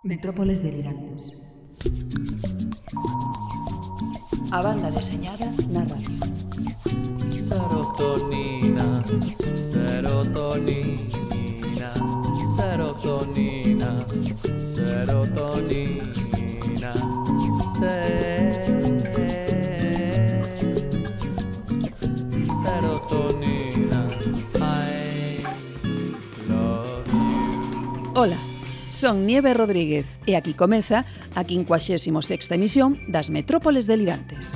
Metrópoles delirantes. A banda deseñada na radio. Serotonina, serotonina, serotonina, serotonina, serotonina, I love you. Ola, son Nieve Rodríguez e aquí comeza a 56ª emisión das Metrópoles delirantes.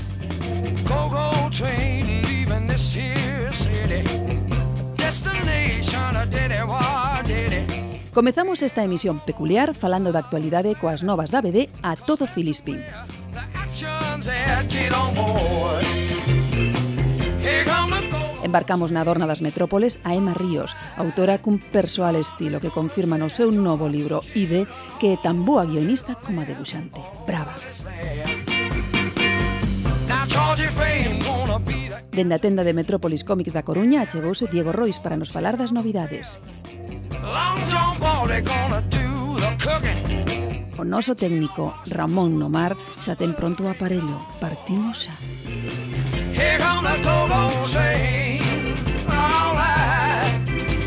Go-go train leaving this here city. Destination a diddy. Comezamos esta emisión peculiar falando da actualidade coas novas da BD A Todo Filispín. The actions that get on board. Here come the go. Embarcamos na adorna das metrópoles a Emma Ríos, autora cun persoal estilo que confirma no seu novo libro Ide que é tan boa guionista como a debuxante. Brava! Now Georgie Fame gonna be the Dende a tenda de Metrópolis Cómics da Coruña achegouse Diego Rois para nos falar das novidades. Long John Baldy gonna do the cooking. O noso técnico Ramón Nomar xa ten pronto o aparello. Partimos xa. Here come the go-go train. All right.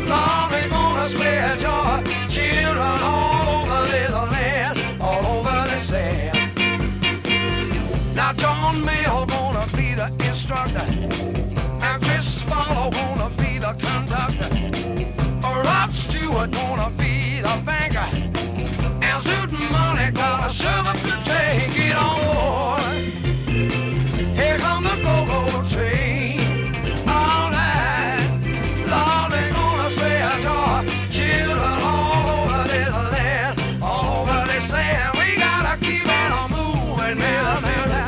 Long they gonna spread your children all over this land, all over this land. Now John Mayle gonna be the instructor, and Chris Farlow gonna be the conductor. Rod Stewart gonna be the banker, and Zoot Money gonna serve up the drink. Get on board. Here come the go-go train. All right, Lord, they're gonna spread your children all over this land, all over this land. We gotta keep on moving, man.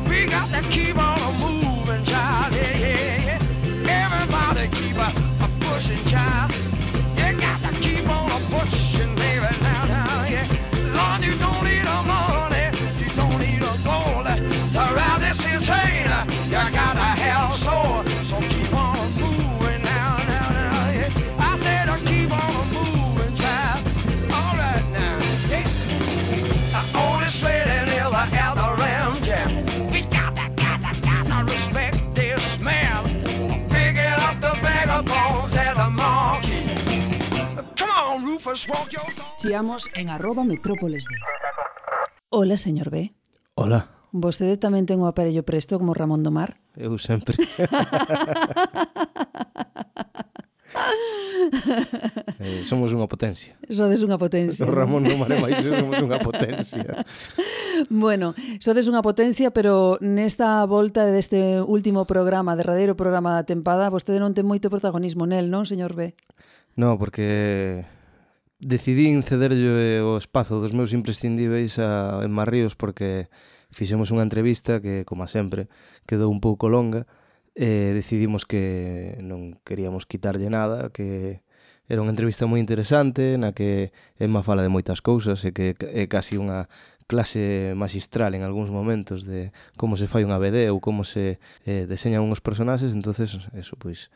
We got to keep on moving, child. Yeah. Everybody keep a pushing, child. You got to keep on pushing, baby. Now, yeah. Lord, you don't need no money, you don't need no gold to ride this here train. You gotta have a soul, so keep on moving now, yeah. I said keep on moving, child. All right now, yeah. Only straight and ill out the ram jam. We gotta respect this man. Picking up the vagabonds at the marquee. Come on, Rufus, walk your dog. Chiamos en @metrópoles de. Hola, señor B. Hola, Vostede tamén ten o aparello presto como Ramón do Mar? eu sempre. Somos unha potencia. Sodes unha potencia. O Ramón non mare máis, somos unha potencia. Bueno, sodes unha potencia, pero nesta volta deste último programa, derradeiro programa da tempada, vostede non ten moito protagonismo nel, non, señor B? No, porque decidín cederlle o espazo dos meus imprescindíveis a Emma Ríos porque fixemos unha entrevista que, como sempre, quedou un pouco longa e decidimos que non queríamos quitarlle nada, que era unha entrevista moi interesante na que Emma fala de moitas cousas e que é casi unha clase magistral en algúns momentos de como se fai unha BD ou como se deseñan uns personaxes. Entonces, eso, pois,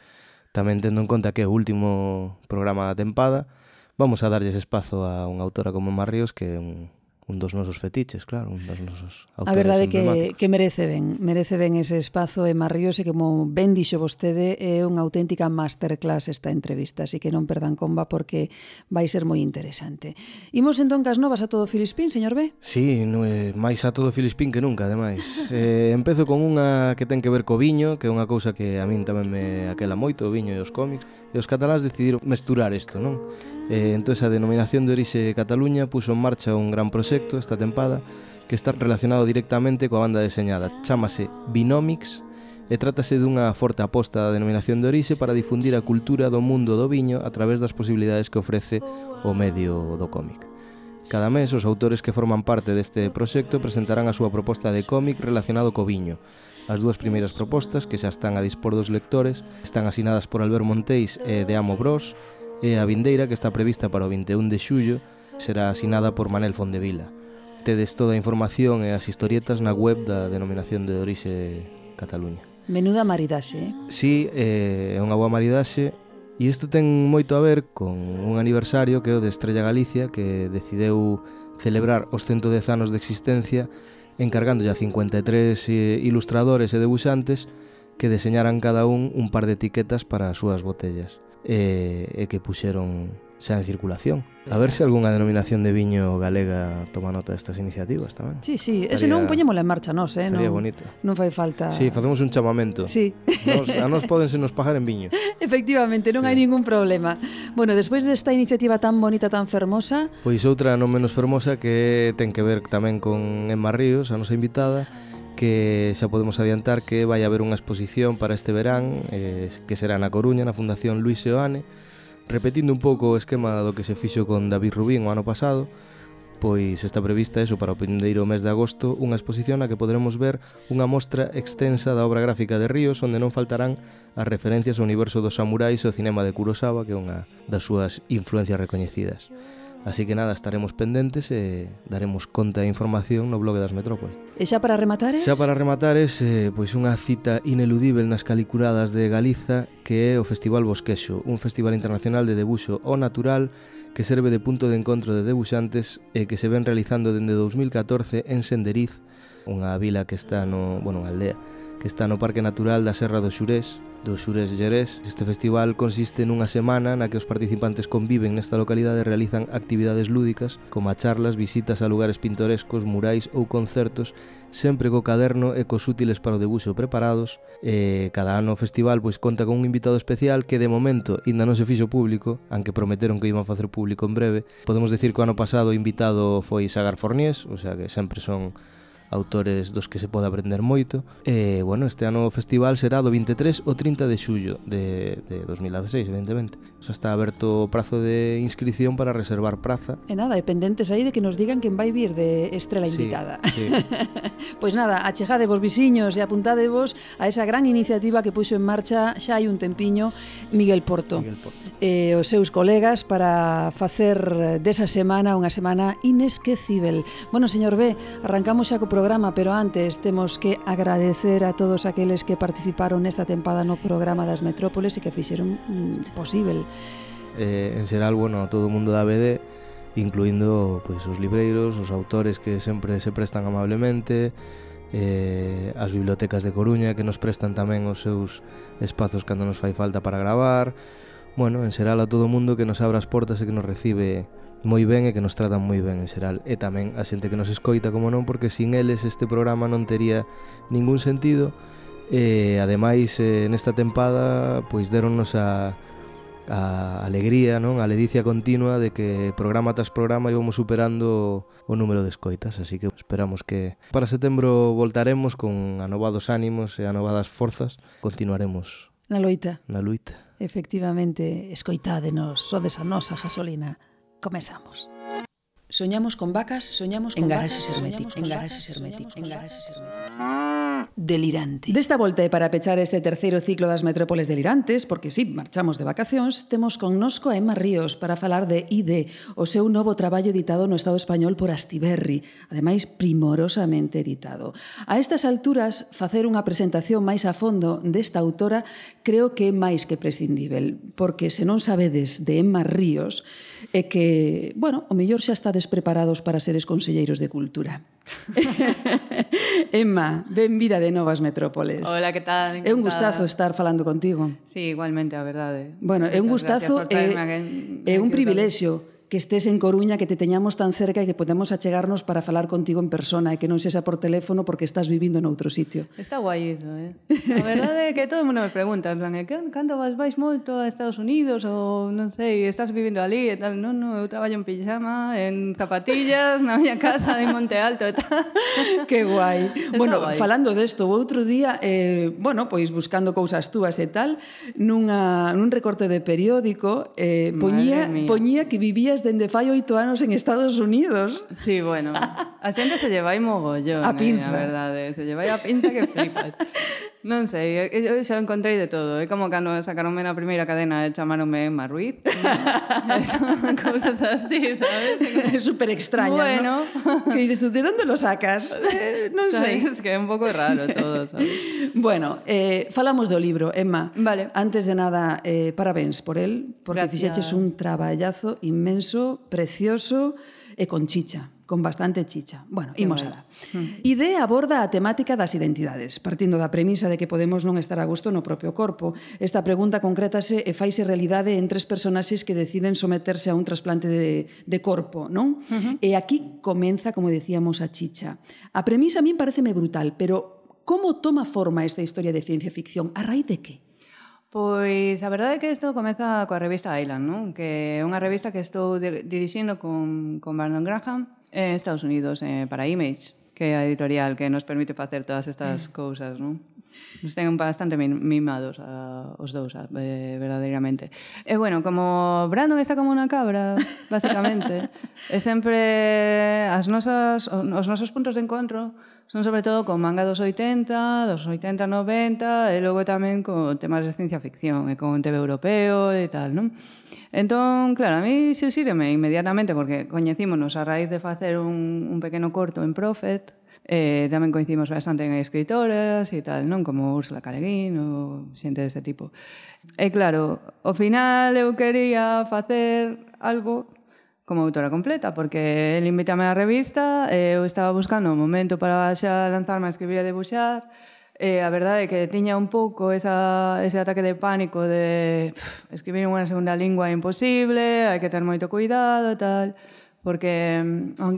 tamén tendo en conta que é o último programa da tempada, vamos a darlles espazo a unha autora como Emma Ríos, que é un dos nosos fetiches, claro, un dos nosos autores A verdade emblemáticos. que merece ben ese espazo Emma Ríos e como ben dixo vostede é unha auténtica masterclass esta entrevista, así que non perdan comba porque vai ser moi interesante. Imos entón cas novas A Todo Filispín, señor B? Sí, máis a todo Filispín que nunca, ademais. Empezo con unha que ten que ver co viño, que é unha cousa que a min tamén me aquela moito, o viño e os cómics, e os cataláns decidiron mesturar isto, non? Entón a Denominación de Orixe Cataluña puso en marcha un gran proxecto esta tempada que está relacionado directamente coa banda deseñada. Chámase Vinomics e trátase dunha forte aposta da Denominación de Orixe para difundir a cultura do mundo do viño a través das posibilidades que ofrece o medio do cómic. Cada mes os autores que forman parte deste proxecto presentarán a súa proposta de cómic relacionado co viño. As dúas primeiras propostas, que xa están a dispor dos lectores, están asinadas por Albert Monteis e de Amo Bros, e a vindeira, que está prevista para o 21 de xullo, será asinada por Manel Fondevila. Tedes toda a información e as historietas na web da Denominación de Orixe Cataluña. Menuda maridaxe, eh? Sí, é unha boa maridaxe, e isto ten moito a ver con un aniversario que é o de Estrella Galicia, que decideu celebrar os 110 anos de existencia, encargándolle a 53 ilustradores e debuxantes que deseñaran cada un par de etiquetas para as súas botellas e que puxeron xa en circulación. A ver se algunha denominación de viño galega toma nota destas iniciativas tamén. Sí, ese non poñémola en marcha nós, estaría bonito. Non fai falta. Sí, facemos un chamamento. Sí. A nos pódense nos pagar en viño. Efectivamente, non hai ningún problema. Bueno, despois desta iniciativa tan bonita, tan fermosa... Pois outra non menos fermosa que ten que ver tamén con Emma Ríos, a nosa invitada, que xa podemos adiantar que vai haber unha exposición para este verán, que será na Coruña, na Fundación Luis Seoane, repetindo un pouco o esquema do que se fixo con David Rubín o ano pasado. Pois está prevista eso para o vindeiro mes de agosto, unha exposición na que poderemos ver unha mostra extensa da obra gráfica de Ríos, onde non faltarán as referencias ao universo dos samurais e ao cinema de Kurosawa, que é unha das súas influencias recoñecidas. Así que nada, estaremos pendentes e daremos conta e información no blog das Metrópoles. E xa para rematares? Xa para rematares, pois unha cita ineludível nas Caliculadas de Galiza, que é o Festival Bosquexo, un festival internacional de debuxo ao natural que serve de punto de encontro de debuxantes e que se ven realizando dende 2014 en Senderiz, unha vila que está unha aldea que está no Parque Natural da Serra do Xurés Llerés. Este festival consiste nunha semana na que os participantes conviven nesta localidade e realizan actividades lúdicas como charlas, visitas a lugares pintorescos, murais ou concertos, sempre co caderno e cos útiles para o debuxo preparados. Cada ano o festival pois conta con un invitado especial que de momento ainda non se fixo público, aunque prometeron que iban facer público en breve. Podemos decir que o ano pasado o invitado foi Sagar Forniés, o sea que sempre son autores dos que se pode aprender moito. Bueno, este ano o festival será do 23 ao 30 de xullo de 2016, evidentemente. Xa está aberto o prazo de inscripción para reservar praza. E nada, e pendentes aí de que nos digan quen vai vir de estrela invitada. Sí. Pois nada, achejadevos visiños e apuntadevos a esa gran iniciativa que puxo en marcha xa hai un tempiño Miguel Porto. E os seus colegas para facer desa semana unha semana inesquecível. Bueno, señor B, arrancamos xa co programa, pero antes temos que agradecer a todos aqueles que participaron nesta tempada no programa das Metrópoles e que fixeron posible. En xeral, bueno, todo o mundo da BD, incluindo pois, os libreiros, os autores que sempre se prestan amablemente, as bibliotecas de Coruña que nos prestan tamén os seus espazos cando nos fai falta para gravar. Bueno, en xeral a todo o mundo que nos abre as portas e que nos recibe moi ben e que nos tratan moi ben en xeral, e tamén a xente que nos escoita, como non, porque sin eles este programa non tería ningún sentido. E ademais nesta tempada pois deronnos a alegría, non, a ledicia continua de que programa tras programa íbamos superando o número de escoitas, así que esperamos que para setembro voltaremos con anovados ánimos e anovadas forzas. Continuaremos na loita. Efectivamente, escoitádenos, sodes a nosa gasolina. Comezamos. Soñamos con vacas, soñamos con Garaxes herméticos. herméticos. Delirante. Desta volta e para pechar este terceiro ciclo das Metrópoles delirantes, porque sí, marchamos de vacacións, temos connosco a Emma Ríos para falar de ID, o seu novo traballo editado no Estado español por Astiberri, ademais primorosamente editado. A estas alturas, facer unha presentación máis a fondo desta autora creo que é máis que prescindível, porque se non sabedes de Emma Ríos, é que, bueno, o mellor xa estades preparados para seres conselleiros de cultura. Emma, benvida de novas Metrópoles. Hola, que tal? É un gustazo estar falando contigo. Sí, igualmente, a verdade. Bueno, é un gustazo e un privilexio que estés en Coruña, que te teñamos tan cerca e que podemos achegarnos para falar contigo en persona e que non sexa por teléfono porque estás vivindo noutro sitio. Está guai iso, A verdade é que todo o mundo me pregunta, en plan, cando vais moito a Estados Unidos ou non sei, estás vivindo ali e tal? Non, eu traballo en pijama, en zapatillas, na miña casa en Monte Alto e tal. Que guai. Bueno, guai. Falando desto, o outro día, bueno, pois buscando cousas túas e tal, nun recorte de periódico, poñía que vivías dende fai 8 anos en Estados Unidos. Sí, bueno, a xente se llevai mogollón, a pinza. A verdade, se llevai a pinza que flipas. Non sei, eu xa encontrei de todo. É como cando sacaronme na primeira cadena e chamaronme Emma Ruiz. Cousas así, sabes? É super extraño, bueno, ¿no? Que dices tú, ¿de dónde lo sacas? Non sei. Es que é un pouco raro todo, sabes? Bueno, falamos do libro, Emma. Vale. Antes de nada, parabéns por él, porque Gracias. fixeches un traballazo inmenso, precioso e con chicha, con bastante chicha. Bueno, imos alá. Ide aborda a temática das identidades, partindo da premisa de que podemos non estar a gusto no propio corpo. Esta pregunta concrétase e faise realidade en 3 personaxes que deciden someterse a un trasplante de corpo, non? E aquí comeza, como decíamos, a chicha. A premisa a min pareceme brutal, pero como toma forma esta historia de ciencia ficción? A raíz de que? Pois a verdade é que isto comeza coa revista Island, non? Que é unha revista que estou dirixindo con Brandon Graham en Estados Unidos para Image, que é a editorial que nos permite facer todas estas cousas, non? Nos ten bastante mimados os dous, verdadeiramente. E bueno, como Brandon está como unha cabra, basicamente, e sempre os nosos puntos de encontro son sobre todo con manga dos 80, 90, e logo tamén con temas de ciencia ficción e con TV europeo e tal, non? Entón, claro, a mí xúxireme inmediatamente porque coñecímonos a raíz de facer un pequeno corto en Prophet, tamén coincidimos bastante en escritoras e tal, non? Como Úrsula K. Le Guin ou xente dese tipo. E claro, ao final eu quería facer algo como autora completa, porque ele invítame á revista, eu estaba buscando un momento para xa lanzarme a escribir e debuxar, e a verdade é que tiña un pouco ese ataque de pánico de escribir unha segunda lingua é imposible, hai que ter moito cuidado e tal, porque,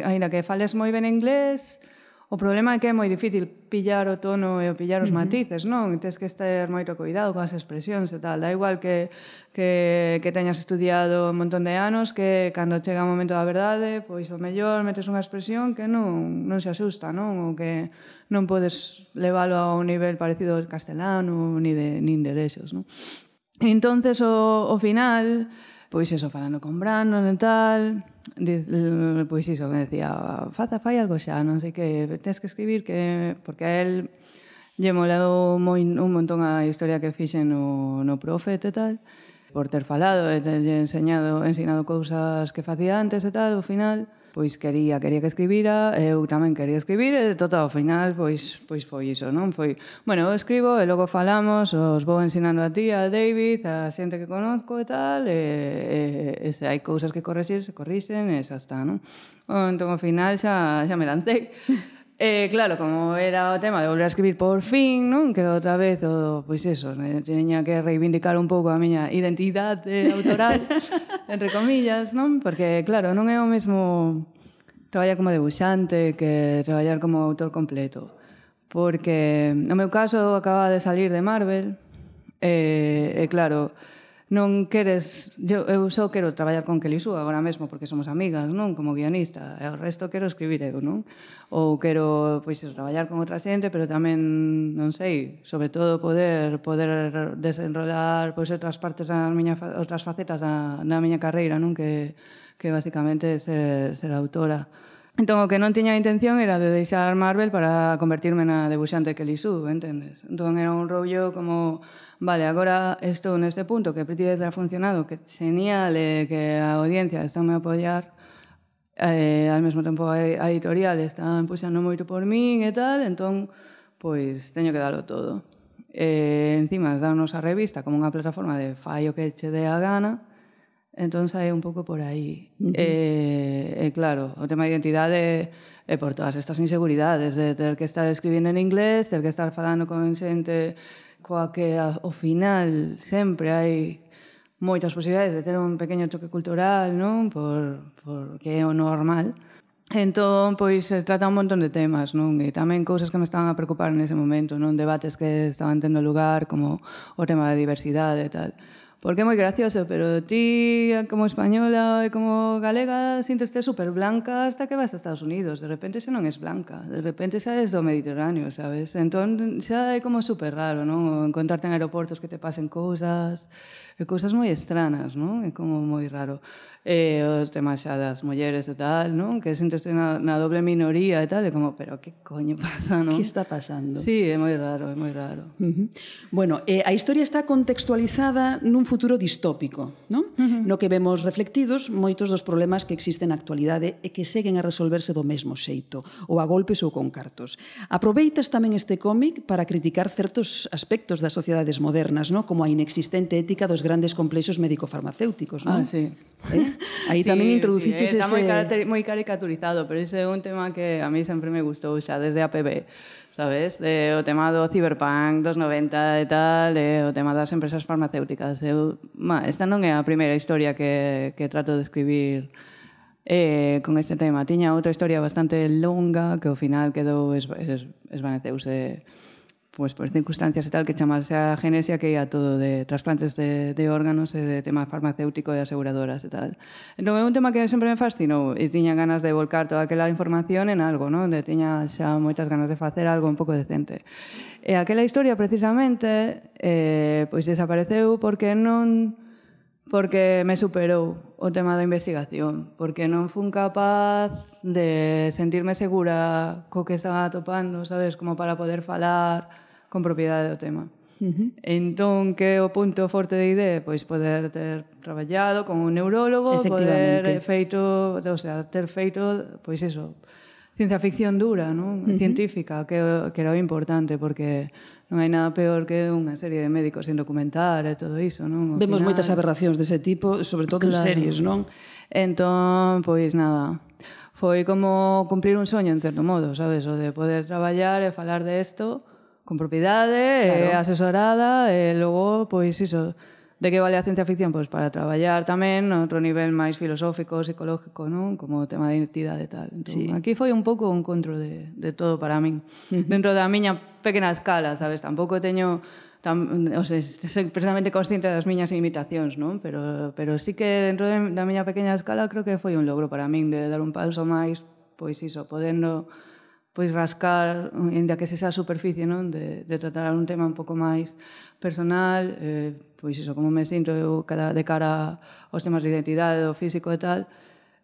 aínda que fales moi ben inglés, o problema é que é moi difícil pillar o tono e pillar os matices, non? Tens que ter moito cuidado con as expresións e tal. Da igual que teñas estudiado un montón de anos, que cando chega o momento da verdade, pois o mellor metes unha expresión que non se asusta, non? Ou que non podes leválo a un nivel parecido ao castelano nin de lexos, non? Entonces, ao final, pois iso, falando con Brandon e tal, pois iso, me decía, fai algo xa, non sei que, tens que escribir, que porque a él lle molou un montón a historia que fixen no Prophet e tal, por ter falado e terlle ensinado cousas que facía antes e tal, ao final, pois quería que escribira, eu tamén quería escribir, e total, ao final, pois foi iso, non? Foi, bueno, eu escribo e logo falamos, os vou ensinando a ti, a David, a xente que conozco e tal, e se hai cousas que corrixir, se corrixen, e xa está, non? Entón, ao final, xa me lancei. E, claro, como era o tema de volver a escribir por fin, non? Que outra vez, pois eso, teña que reivindicar un pouco a miña identidade autoral, entre comillas, non? Porque, claro, non é o mesmo traballar como debuxante que traballar como autor completo. Porque, no meu caso, acababa de salir de Marvel, e claro, non queres... Eu só quero traballar con Kelly Sue agora mesmo porque somos amigas, non? Como guionista. E o resto quero escribir eu, non? Ou quero, pois, traballar con outra xente, pero tamén, non sei, sobre todo poder desenrolar pois outras partes outras facetas da miña carreira, non? Que basicamente ser autora. Entón, o que non tiña a intención era de deixar Marvel para convertirme na debuxante Kelly Sue, entendes? Entón, era un rollo como, vale, agora estou neste punto que Pretty Death ha funcionado, que genial, que a audiencia está a apoiar, ao mesmo tempo a editorial está puxando moito por min e tal, entón, pois, teño que darlo todo. Encima, darnos a revista como unha plataforma de fai o que che dé a gana, entón sae un pouco por aí. E claro, o tema de identidade é por todas estas inseguridades de ter que estar escribindo en inglés, ter que estar falando con xente coa que ao final sempre hai moitas posibilidades de ter un pequeno choque cultural, non? Porque é o normal. Entón, pois, se trata un montón de temas, non? E tamén cousas que me estaban a preocupar nese momento, non? Debates que estaban tendo lugar, como o tema da diversidade e tal. Porque é moi gracioso, pero ti, como española e como galega, sínteste super blanca hasta que vas a Estados Unidos. De repente xa non és blanca, de repente xa és do Mediterráneo, sabes? Entón, xa é como super raro, non? Encontrarte en aeroportos que te pasen cousas moi estranas, non? É como moi raro. O tema xa das mulleres e tal, non? Que sínteste na doble minoría e tal, é como, pero que coño pasa, non? Que está pasando? Sí, é moi raro, é moi raro. Bueno, a historia está contextualizada nun futuro distópico, non? No que vemos reflectidos moitos dos problemas que existen na actualidade e que seguen a resolverse do mesmo xeito, ou a golpes ou con cartos. Aproveitas tamén este cómic para criticar certos aspectos das sociedades modernas, non? Como a inexistente ética dos grandes complexos médico-farmacéuticos, non? Ah, sí. Aí tamén introduciches está ese... moi caricaturizado, pero ese é un tema que a mí sempre me gustou xa desde APB, sabes? O tema do cyberpunk dos 90 e tal, o tema das empresas farmacéuticas. Esta non é a primeira historia que trato de escribir con este tema. Tiña outra historia bastante longa que ao final quedou esvaneceuse pues por circunstancias e tal, que chamase a Genesia, que ia todo de trasplantes de órganos e de tema farmacéutico e aseguradoras e tal. Entón é un tema que sempre me fascinou e tiña ganas de volcar toda aquela información en algo, non? Tiña xa moitas ganas de facer algo un pouco decente. E aquela historia, precisamente, pois desapareceu porque me superou o tema da investigación, porque non fun capaz de sentirme segura co que estaba atopando, sabes, como para poder falar con propiedade do tema. Entón, que o punto forte de IDE? Pois poder ter traballado con un neurólogo, poder ter feito, pois iso, ciencia ficción dura, non? Científica, que era o importante, porque non hai nada peor que unha serie de médicos sin documentar e todo iso, non? Vemos moitas aberracións dese tipo, sobre todo en series, non? Entón, pois nada, foi como cumplir un soño, en certo modo, sabes? O de poder traballar e falar de isto con propiedade, asesorada, e logo, pois iso, de que vale a ciencia ficción? Pois para traballar tamén no outro nivel máis filosófico, psicológico, non? Como o tema de identidade e tal. Entón, aquí foi un pouco un encontro de todo para min. Dentro da miña pequena escala, sabes? Tampouco teño... soy precisamente consciente das miñas limitacións, non? Pero sí que dentro da miña pequena escala creo que foi un logro para min de dar un paso máis, pois iso, podendo pois rascar, ainda que se xa a superficie, non? De tratar un tema un pouco máis personal, pois iso, como me sinto eu de cara aos temas de identidade, do físico e tal,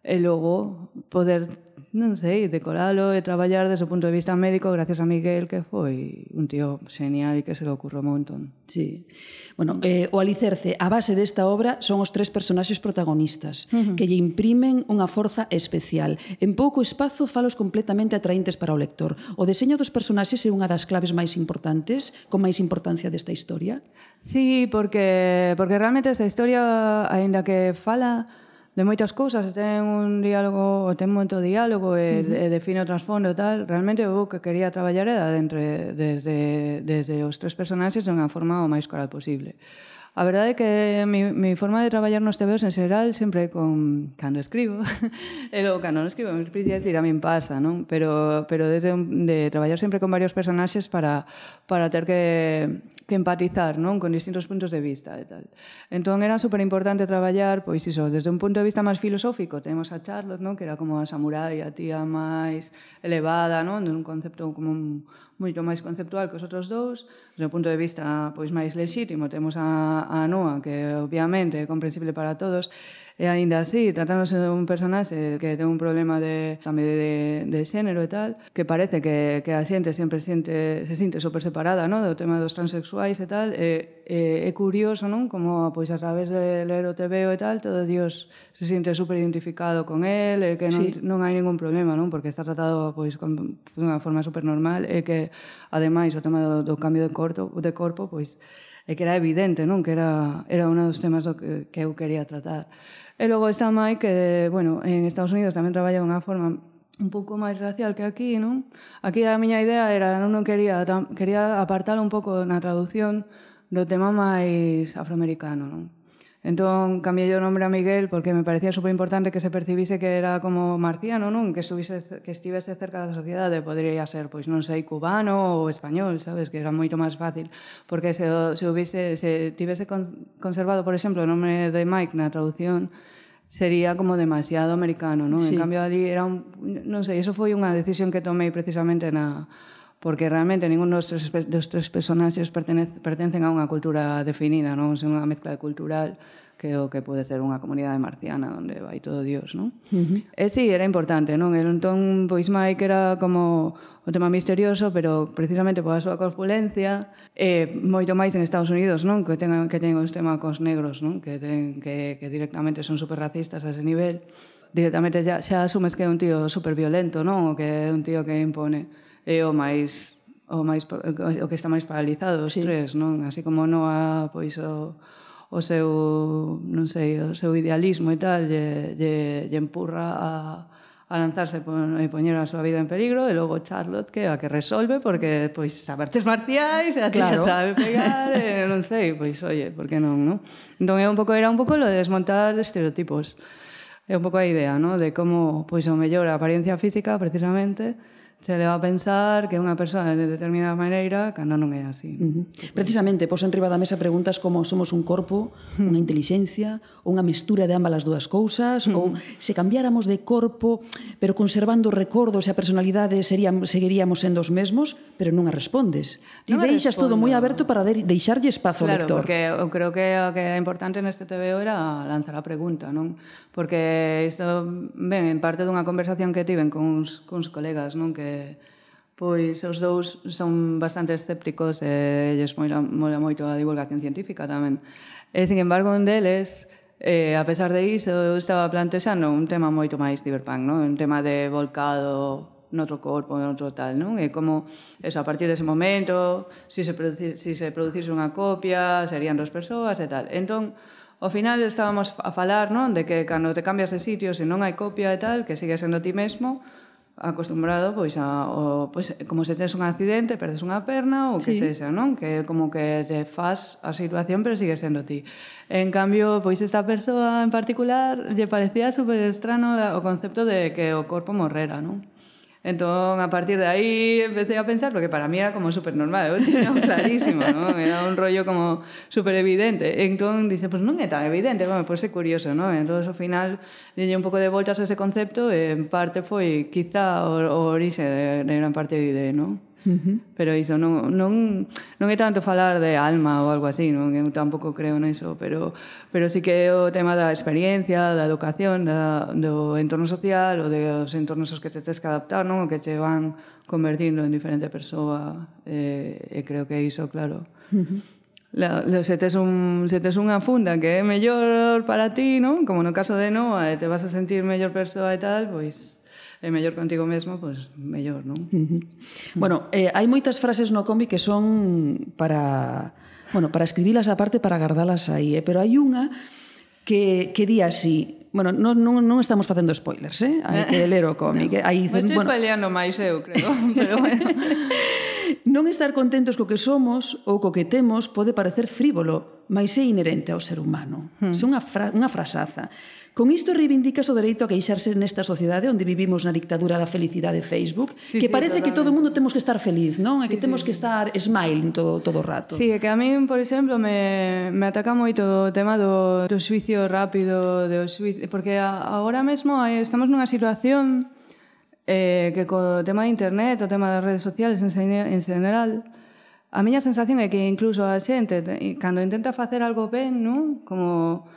e logo poder, non sei, decoralo e traballar desde o punto de vista médico gracias a Miguel, que foi un tío genial e que se lo ocurriu un montón. Sí. Bueno, o alicerce, a base desta obra son os 3 personaxes protagonistas, que lle imprimen unha forza especial. En pouco espazo falos completamente atraíntes para o lector. O deseño dos personaxes é unha das claves máis importantes, con máis importancia desta historia? Sí, porque realmente esta historia, aínda que fala de moitas cousas, ten un diálogo, ten moito diálogo e define o trasfondo e tal, realmente o que quería traballar era desde os 3 personaxes de unha forma o máis coral posible. A verdade é que mi forma de traballar nos TVOs en xeral sempre cando escribo e logo cando non escribo me explico decir, a min pasa, non? Pero de traballar sempre con varios personaxes para ter que empatizar, non? Con distintos puntos de vista e tal. Entón era superimportante traballar, pois iso, desde un punto de vista máis filosófico, temos a Charlotte, non? Que era como a samurai, a tía máis elevada, non? De un concepto como moito máis conceptual que os outros dous. Desde o punto de vista pois máis lexítimo, temos a Noa, que obviamente é comprensible para todos, e aínda así, tratándose de un personaxe que ten un problema de cambio de xénero e tal, que parece que a xente sempre se sinte super separada, non? Do tema dos transexuais e tal, é curioso, non? Como pois a través de ler o TVO e tal, todo Dios se sinte super identificado con él, e que non hai ningún problema, non? Porque está tratado pois de unha forma super normal, e que ademais o tema do cambio de corpo pois é que era evidente, non? Que era un dos temas que eu quería tratar. E logo está Mike, que, bueno, en Estados Unidos tamén traballa de unha forma un pouco máis racial que aquí, non? Aquí a miña idea era, non quería apartar un pouco na traducción do tema máis afroamericano, non? Entón, cambiei o nombre a Miguel porque me parecía superimportante que se percibise que era como marciano, non? Que estivese cerca da sociedade, podría ser, pois non sei, cubano ou español, sabes? Que era moito máis fácil, porque se tivese conservado, por exemplo, o nome de Mike na traducción, sería como demasiado americano, non? En cambio, ali era non sei, eso foi unha decisión que tomei precisamente porque realmente ningún dos 3 personaxes pertencen a unha cultura definida, non? É unha mezcla cultural que o que pode ser unha comunidade marciana onde vai todo Dios, non? E sí, era importante, non? Entón, pois Mike era como o tema misterioso, pero precisamente pola súa corpulencia, moito máis en Estados Unidos, non? Que ten os temas cos negros, non? Que directamente son super racistas a ese nivel. Directamente xa asumes que é un tío super violento, non? O que é un tío que impone. É o que está máis paralizado, os 3, non? Así como Noa, pois o seu, non sei, o seu idealismo e tal lle empurra a lanzarse e poñer a súa vida en peligro, e logo Charlotte que é a que resolve porque pois sabe artes marciais, e a tía sabe pegar, non sei, pois oye, por que non, non? Entón era un pouco lo de desmontar estereotipos. É un pouco a idea, non? De como pois o mellor a apariencia física precisamente se leva a pensar que unha persoa de determinada maneira cando non é así. Precisamente, pos enriba da mesa preguntas como somos un corpo, unha intelixencia, ou unha mestura de ambas as dúas cousas, ou se cambiáramos de corpo, pero conservando recordos e a personalidade seguiríamos sendo os mesmos, pero non a respondes. Ti deixas todo moi aberto para deixarlle espazo ao lector. Claro, porque eu creo que o que era importante neste TVO era lanzar a pregunta, non? Porque isto ven en parte dunha conversación que tiven con uns colegas, non? Que pois os dous son bastante escépticos e lles mola moito a divulgación científica tamén. E, sin embargo, un deles, a pesar de iso, eu estaba plantexando un tema moito máis cyberpunk, non? Un tema de volcado noutro corpo, noutro tal, non? E como, eso, a partir dese momento, se producise unha copia, serían dos persoas e tal. Entón, ao final estábamos a falar, non? De que cando te cambias de sitio, se non hai copia e tal, que sigue sendo ti mesmo, acostumbrado pois como se tes un accidente, perdes unha perna ou que sexa, non? Que como que te faz a situación pero sigue sendo ti. En cambio, pois esta persoa en particular lle parecía super estrano o concepto de que o corpo morrera, non? Entón, a partir de aí empecé a pensar, porque para mí era como super normal, eu tinha clarísimo, non? Era un rollo como super evidente. Entón, dice, pues non é tan evidente, bueno, pues é curioso, non? Entón, ao final, dille un pouco de voltas a ese concepto e en parte foi quizá o orixe de gran parte de ideia, non? Pero iso non é tanto falar de alma ou algo así, non? Eu tampouco creo neso, pero sí que é o tema da experiencia, da educación, do entorno social ou dos entornos aos que te tens que adaptar, non? O que te van convertindo en diferente persoa, e creo que iso, claro. Se tes unha funda que é mellor para ti, non? Como no caso de Noa, e te vas a sentir mellor persoa e tal, pois é mellor contigo mesmo, pois mellor, non? Bueno, hai moitas frases no cómic que son para escribilas aparte para gardalas aí, pero hai unha que di así. Bueno, non estamos facendo spoilers, hai que ler o cómic. Me estou spoileando máis eu, creo, pero bueno. Non estar contentos co que somos ou co que temos pode parecer frívolo, mas é inherente ao ser humano. É unha frasaza. Con isto reivindicas o dereito a queixarse nesta sociedade onde vivimos na dictadura da felicidade Facebook, que parece que todo o mundo temos que estar feliz, non? E que temos que estar smile todo o rato. Sí, é que a mí, por exemplo, me ataca moito o tema do xuicio rápido, porque agora mesmo estamos nunha situación que co tema de internet, o tema das redes sociales en general, a miña sensación é que incluso a xente, cando intenta facer algo ben, non? Como,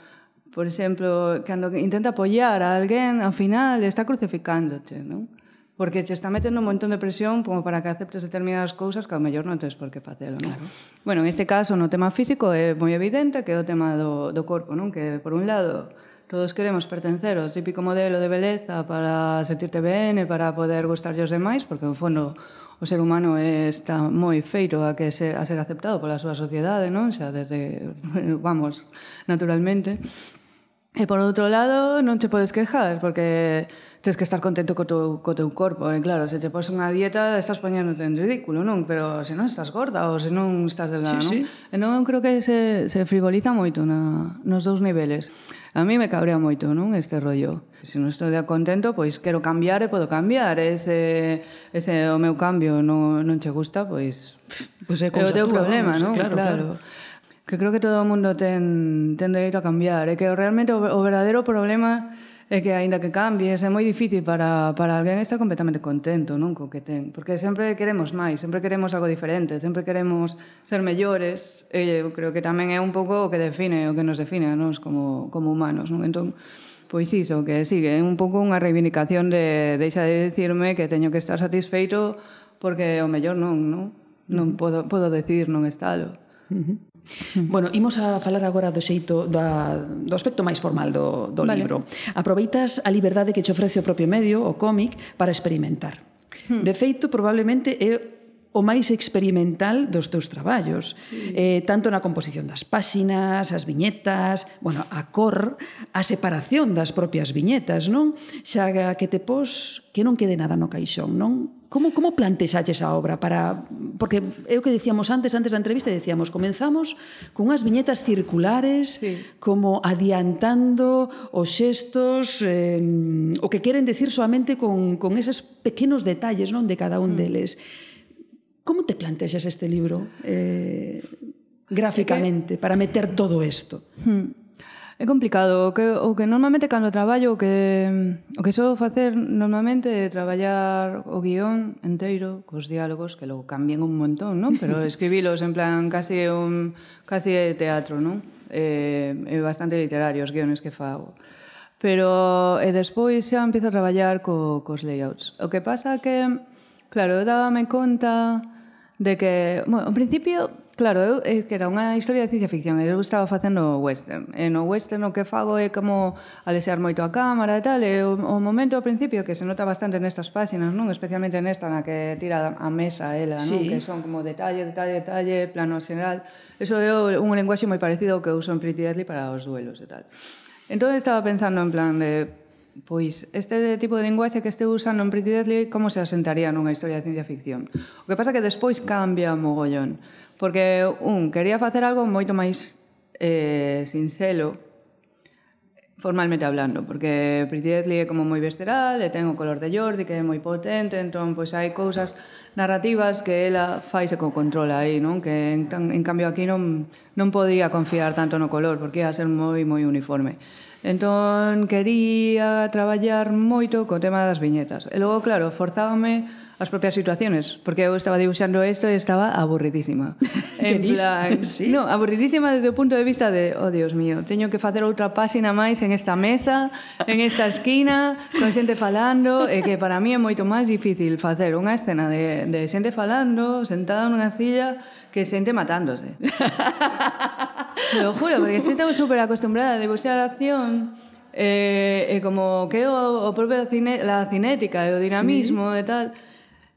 por exemplo, cando intenta apoiar a alguén, ao final está crucificándote, non? Porque te está metendo un montón de presión como para que aceptes determinadas cousas que ao mellor non tens por que facelo, non? Claro. Bueno, en este caso, no tema físico, é moi evidente que é o tema do corpo, non? Que, por un lado, todos queremos pertencer ao típico modelo de beleza para sentirte ben e para poder gustarlle aos demais, porque, no fondo, o ser humano está moi feito a ser aceptado pola súa sociedade, non? Xa desde, vamos, naturalmente. E, por outro lado, non te podes quejar, porque tens que estar contento co teu corpo. E, claro, se te pos unha dieta, estás poñéndote en ridículo, non? Pero se non estás gorda ou se non estás delgada, non? E non creo que se frivoliza moito nos dous niveles. A mí me cabrea moito, non? Este rollo. Se non estou contento, pois quero cambiar e podo cambiar. Ese o meu cambio non che gusta, pois é o teu problema, non? Claro. Que creo que todo o mundo ten dereito a cambiar. E que realmente o verdadeiro problema é que, aínda que cambies, é moi difícil para alguén estar completamente contento, non, co que ten. Porque sempre queremos máis, sempre queremos algo diferente, sempre queremos ser mellores. E eu creo que tamén é un pouco o que nos define a nós como humanos, non? Entón, pois iso, que sigue, é un pouco unha reivindicación de deixa de decirme que teño que estar satisfeito porque o mellor non podo decidir non estalo. Bueno, imos a falar agora do xeito do aspecto máis formal do libro. Aproveitas a liberdade que che ofrece o propio medio, o cómic, para experimentar. De feito, probablemente é o máis experimental dos teus traballos, tanto na composición das páxinas, as viñetas, bueno, a cor, a separación das propias viñetas, non? Xa que te pos que non quede nada no caixón, non? Como plantexaches a obra para... Porque é o que dicíamos antes da entrevista, decíamos, comenzamos con unhas viñetas circulares, como adiantando os xestos, o que queren decir solamente con eses pequenos detalles, non, de cada un deles. Como te plantexas este libro gráficamente para meter todo isto? É complicado. O que normalmente cando traballo, o que sou facer normalmente é traballar o guión enteiro cos diálogos, que logo cambian un montón, non? Pero escribilos en plan casi teatro, non? É bastante literario os guiones que fago. Pero despois xa empiezo a traballar cos layouts. O que pasa que, claro, eu dábame conta de que, bueno, ao principio, claro, que era unha historia de ciencia ficción, eu estaba facendo western, e no western o que fago é como alexar moito a cámara e tal, e o momento ao principio que se nota bastante nestas páxinas, non? Especialmente nesta na que tira a mesa ela, non? Que son como detalle, plano xeral. Eso é un lenguaxe moi parecido ao que uso en Pretty Deadly para os duelos e tal. Entón estaba pensando en plan de, pois, este tipo de linguaxe que estou usando en Pretty Deadly, como se asentaría nunha historia de ciencia ficción? O que pasa é que despois cambia mogollón, porque, quería facer algo moito máis sinxelo, formalmente hablando, porque Pretty Deadly é como moi visceral, e ten o color de Jordi, que é moi potente, entón, pois, hai cousas narrativas que ela faise con control aí, non? Que, en cambio, aquí non podía confiar tanto no color, porque ia ser moi uniforme. Entón, quería traballar moito co tema das viñetas. E logo, claro, forzábame as propias situaciones, porque eu estaba dibuixando isto e estaba aburridísima. En plan, no, aburridísima desde o punto de vista de, oh, Dios mío, teño que facer outra páxina máis en esta mesa, en esta esquina, con xente falando, e que para mí é moito máis difícil facer unha escena de xente falando, sentada nunha silla, que xente matándose. Lo juro, porque estou super acostumbrada a dibuixar a acción, e como que o propio la cinética e o dinamismo e tal,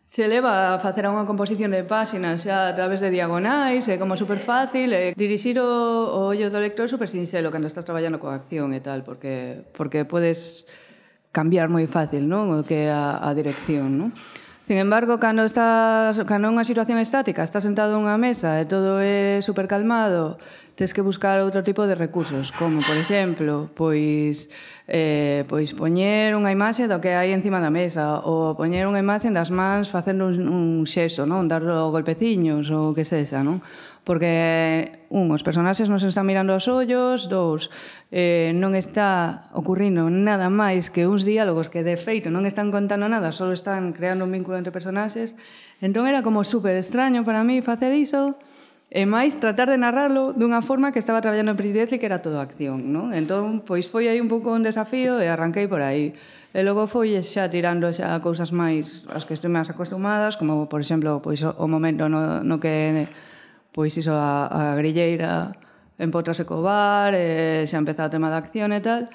se leva a facer unha composición de páxinas xa a través de diagonais, é como super fácil, e dirixir o ollo do lector é super sinxelo cando estás traballando con acción e tal, porque podes cambiar moi fácil, non? O que é a dirección, non? Sin embargo, cando é unha situación estática, estás sentado nunha mesa e todo é super calmado, tens que buscar outro tipo de recursos, como, por exemplo, pois poñer unha imaxe do que hai encima da mesa, ou poñer unha imaxe das mans facendo un xesto, non? Dar golpeciños ou que sexa, non? Porque, os personaxes non se están mirando aos ollos, non está ocurrindo nada máis que uns diálogos que, de feito, non están contando nada, só están creando un vínculo entre personaxes. Entón era como super extraño para mí facer iso, e máis tratar de narrarlo dunha forma que estaba traballando en Pretty Deadly, que era todo acción, non? Entón, pois foi aí un pouco un desafío e arranquei por aí. E logo foi xa tirando xa cousas máis as que estou máis acostumadas, como, por exemplo, pois o momento no que pois iso a grilleira empótrase co bar, xa empeza o tema da acción e tal,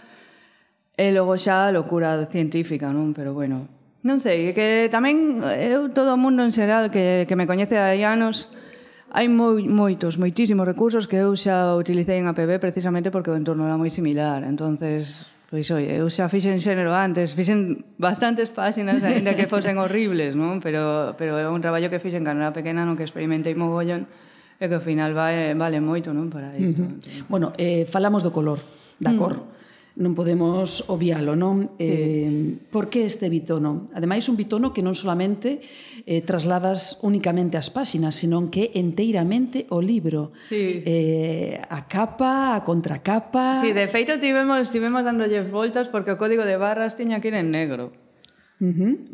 e logo xa a locura científica, non? Pero bueno, non sei, que tamén eu, todo o mundo en xeral que me coñece hai anos, hai moitísimos recursos que eu xa utilicei en APB precisamente porque o entorno era moi similar. Entonces, pois, oi, eu xa fixen xénero antes, fixen bastantes páxinas, ainda que fosen horribles, non? Pero é un traballo que fixen cando era pequena, no que experimentei mogollón, e que ao final vale moito, non, para isto. Bueno, falamos do color, da cor. Non podemos obvialo, non? Por que este bitono? Ademais, un bitono que non solamente trasladas únicamente as páxinas, senón que enteiramente o libro. A capa, a contracapa... Sí, de feito, tivemos dándolle voltas porque o código de barras tiña que ir en negro.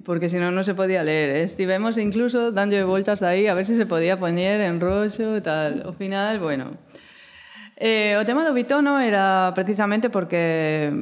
Porque senón non se podía ler. Estivemos incluso dándolle voltas aí a ver se podía poñer en roxo e tal. Ao final, bueno... o tema do bitono era precisamente porque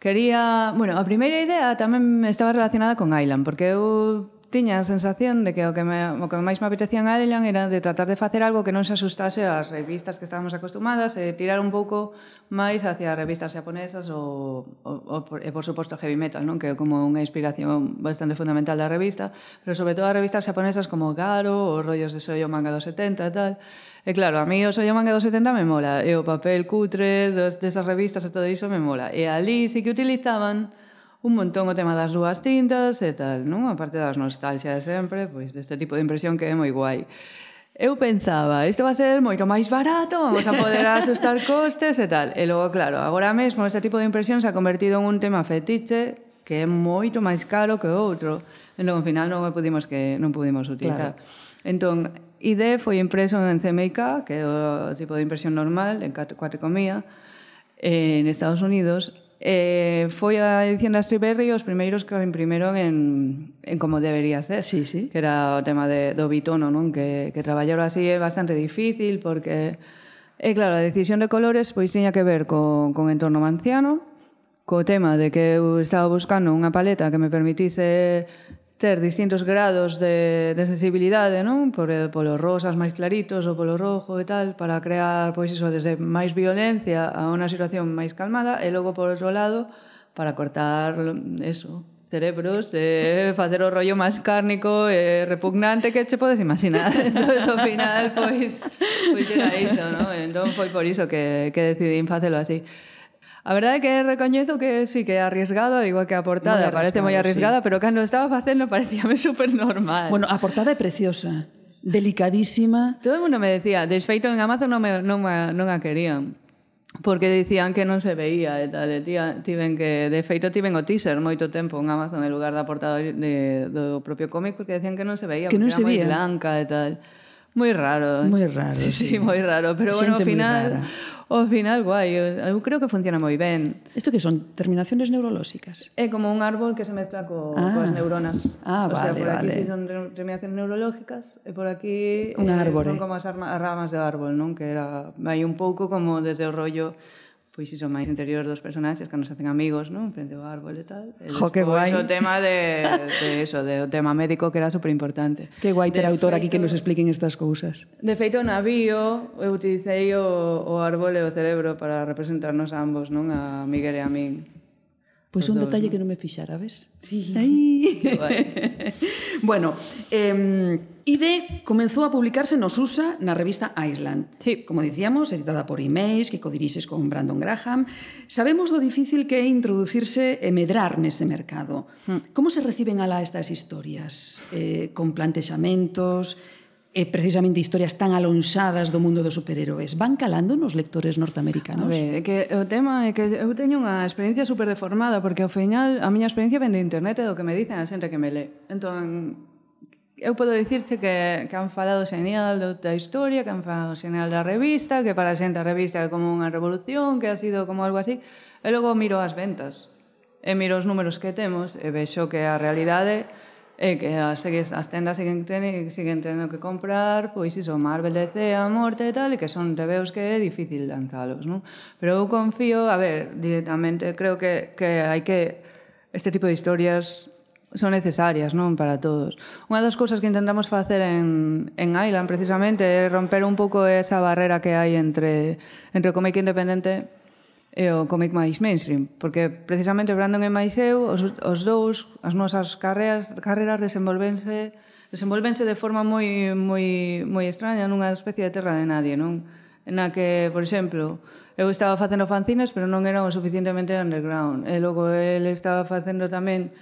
quería... Bueno, a primeira idea tamén estaba relacionada con Island, porque eu tiña a sensación de que o que máis me apetecía en Island era de tratar de facer algo que non se asustase ás revistas que estábamos acostumadas e tirar un pouco máis hacia revistas japonesas e por suposto heavy metal, non? Que é como unha inspiración bastante fundamental da revista, pero sobre todo as revistas japonesas como Garo, os rollos de Shoujo Manga dos 70 e tal. E claro, a mí o Shoujo Manga dos 70 me mola, e o papel cutre desas revistas e todo iso me mola. E ali sí que utilizaban un montón o tema das dúas tintas e tal, non? A parte das nostalgia de sempre, pois deste tipo de impresión que é moi guai. Eu pensaba, isto va a ser moito máis barato, vamos a poder asustar costes e tal. E logo, claro, agora mesmo este tipo de impresión se ha convertido en un tema fetiche que é moito máis caro que outro. Entón, ao final non pudimos utilizar. Claro. Entón, ID foi impreso en CMYK, que é o tipo de impresión normal, en cuatricomía, en Estados Unidos. Foi a edición da Stripberry os primeiros que imprimeron en como debería ser. Sí, sí. Que era o tema do bitono, non? Que traballar así é bastante difícil porque, claro, a decisión de colores pois tiña que ver con entorno manciano, co tema de que eu estaba buscando unha paleta que me permitise ter distintos grados de sensibilidade, non? Polos rosas máis claritos ou polo rojo e tal, para crear, pois iso, desde máis violencia a unha situación máis calmada, e logo, por outro lado, para cortar, eso, cerebros, facer o rollo máis cárnico e repugnante que che podes imaginar. Entón, ao final, pois era iso, non? Entón, foi por iso que decidín facelo así. A verdade é que recoñezo que sí, que é arriesgado, igual que a portada, parece moi arriesgada, sí. Pero cando estaba facendo parecíame super normal. Bueno, a portada é preciosa, delicadísima. Todo o mundo me decía, desfeito en Amazon non a querían, porque dicían que non se veía e tal, tiven o teaser moito tempo en Amazon en lugar da portada do propio cómic, porque decían que non se veía, que non se veía, moi blanca e tal. Moi raro. Moi raro, sí, moi raro, pero bueno, ao final guai, eu creo que funciona moi ben. Isto que son terminaciones neurolóxicas? É como un árbol que se mezcla coas neuronas. Vale, sea, por aquí vale. sí son terminaciones neurológicas e por aquí un árbore. Son como as ramas do árbol, non? Que era vai un pouco como desde o rollo pois iso máis interior dos personaxes cando se hacen amigos, non? Frente ao árbol e tal. E jo, que guai. O tema do tema médico que era superimportante. Que guai ter autor aquí que nos expliquen estas cousas. De feito, na bio, eu utilicei o árbol e o cerebro para representarnos a ambos, non? A Miguel e a min. Pois un detalle que non me fixara, ves? Sí. Bueno, ID comenzou a publicarse nos USA na revista Island. Sí. Como dicíamos, editada por Image, que codirixes con Brandon Graham. Sabemos do difícil que é introducirse e medrar nese mercado. Como se reciben alá estas historias? Con plantexamentos, precisamente historias tan alonxadas do mundo dos superhéroes. Van calando nos lectores norteamericanos? A ver, é que o tema é que eu teño unha experiencia super deformada, porque ao final a miña experiencia ven de internet e do que me dicen a xente que me lé. Entón, eu podo dicirche que han falado xenial da historia, que han falado xenial da revista, que para a xente a revista é como unha revolución, que ha sido como algo así, e logo miro as ventas, e miro os números que temos, e vexo que a realidade é que as tendas siguen tendo que comprar, pois iso, Marvel, DC, a morte e tal, e que son tebeos que é difícil lanzalos, non? Pero eu confío, a ver, directamente, creo que hai que este tipo de historias son necesarias, non, para todos. Unha das cousas que intentamos facer en Island, precisamente, é romper un pouco esa barrera que hai entre o cómic independente e o cómic máis mainstream, porque precisamente Brandon e máis eu, os dous, as nosas carreras desenvolvense de forma moi extraña nunha especie de terra de nadie, non? Na que, por exemplo, eu estaba facendo fanzines, pero non era o suficientemente underground, e logo ele estaba facendo tamén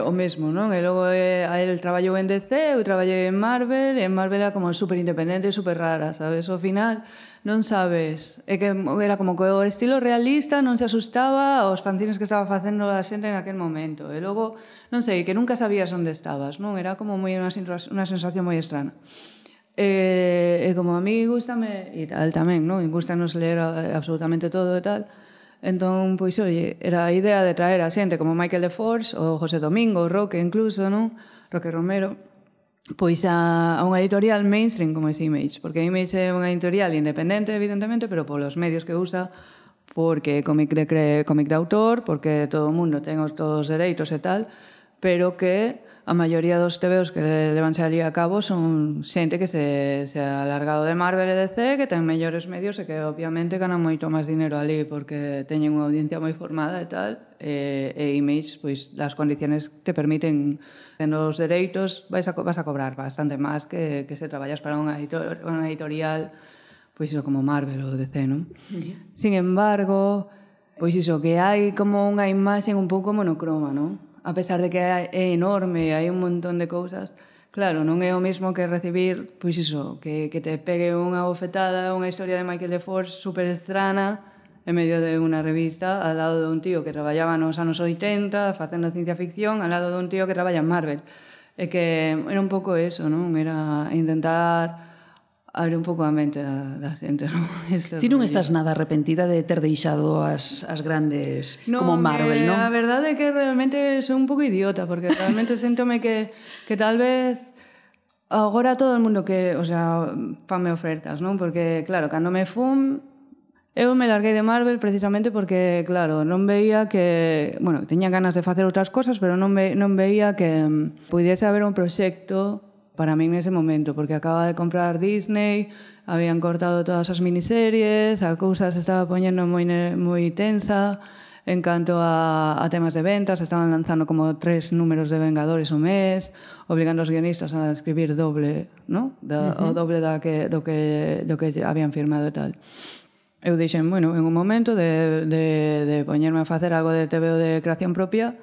o mesmo, non? E logo a el traballou en DC, eu traballei en Marvel, e en Marvel era como super independente e super rara, sabes? Ao final non sabes, é que era como que o estilo realista non se asustaba aos fanzines que estaba facendo a xente en aquel momento, e logo, non sei, que nunca sabías onde estabas, non? Era como moi unha sensación moi extraña. E como a mí gustame, e tal tamén, non? Gustanos ler absolutamente todo e tal. Entón, pois, oye, era a idea de traer a xente como Michael Leforge, ou José Domingo, o Roque incluso, non? Roque Romero, pois a unha editorial mainstream como é Image, porque Image é unha editorial independente, evidentemente, pero polos medios que usa, porque é cómic de autor, porque todo o mundo ten todos os dereitos e tal, pero que a maioría dos TVOs que levanse ali a cabo son xente que se ha alargado de Marvel e DC, que ten mellores medios e que obviamente ganan moito máis dinero ali porque teñen unha audiencia moi formada e tal, e Image, pois, das condiciones te permiten, tendo os dereitos, vas a cobrar bastante máis que se traballas para unha editorial, pois iso como Marvel ou DC, non? Sin embargo, pois iso, que hai como unha imaxe un pouco monocroma, non? A pesar de que é enorme, hai un montón de cousas, claro, non é o mesmo que recibir, pois iso, que te pegue unha bofetada, unha historia de Michael Force super estrana, en medio de unha revista, al lado de un tío que traballaba nos anos 80, facendo ciencia ficción, al lado de un tío que traballa en Marvel. E que era un pouco eso, non? Era intentar abrir un pouco a mente da xente, non? Ti non estás nada arrepentida de ter deixado as grandes como Marvel, non? A verdade é que realmente son un pouco idiota, porque realmente séntome que tal vez agora todo o mundo que, o sea, fanme ofertas, non? Porque, claro, cando me fun, eu me larguei de Marvel precisamente porque, claro, non veía que... Bueno, teña ganas de facer outras cosas, pero non veía que pudiese haber un proxecto para min nese momento, porque acaba de comprar Disney, habían cortado todas as miniseries, a cousa se estaba poñendo moi tensa en canto a temas de ventas, estaban lanzando como 3 números de Vengadores o mes, obligando os guionistas a escribir doble, ¿no? O doble do que habían firmado e tal. Eu dixen, bueno, en un momento de poñerme a facer algo de TVO de creación propia,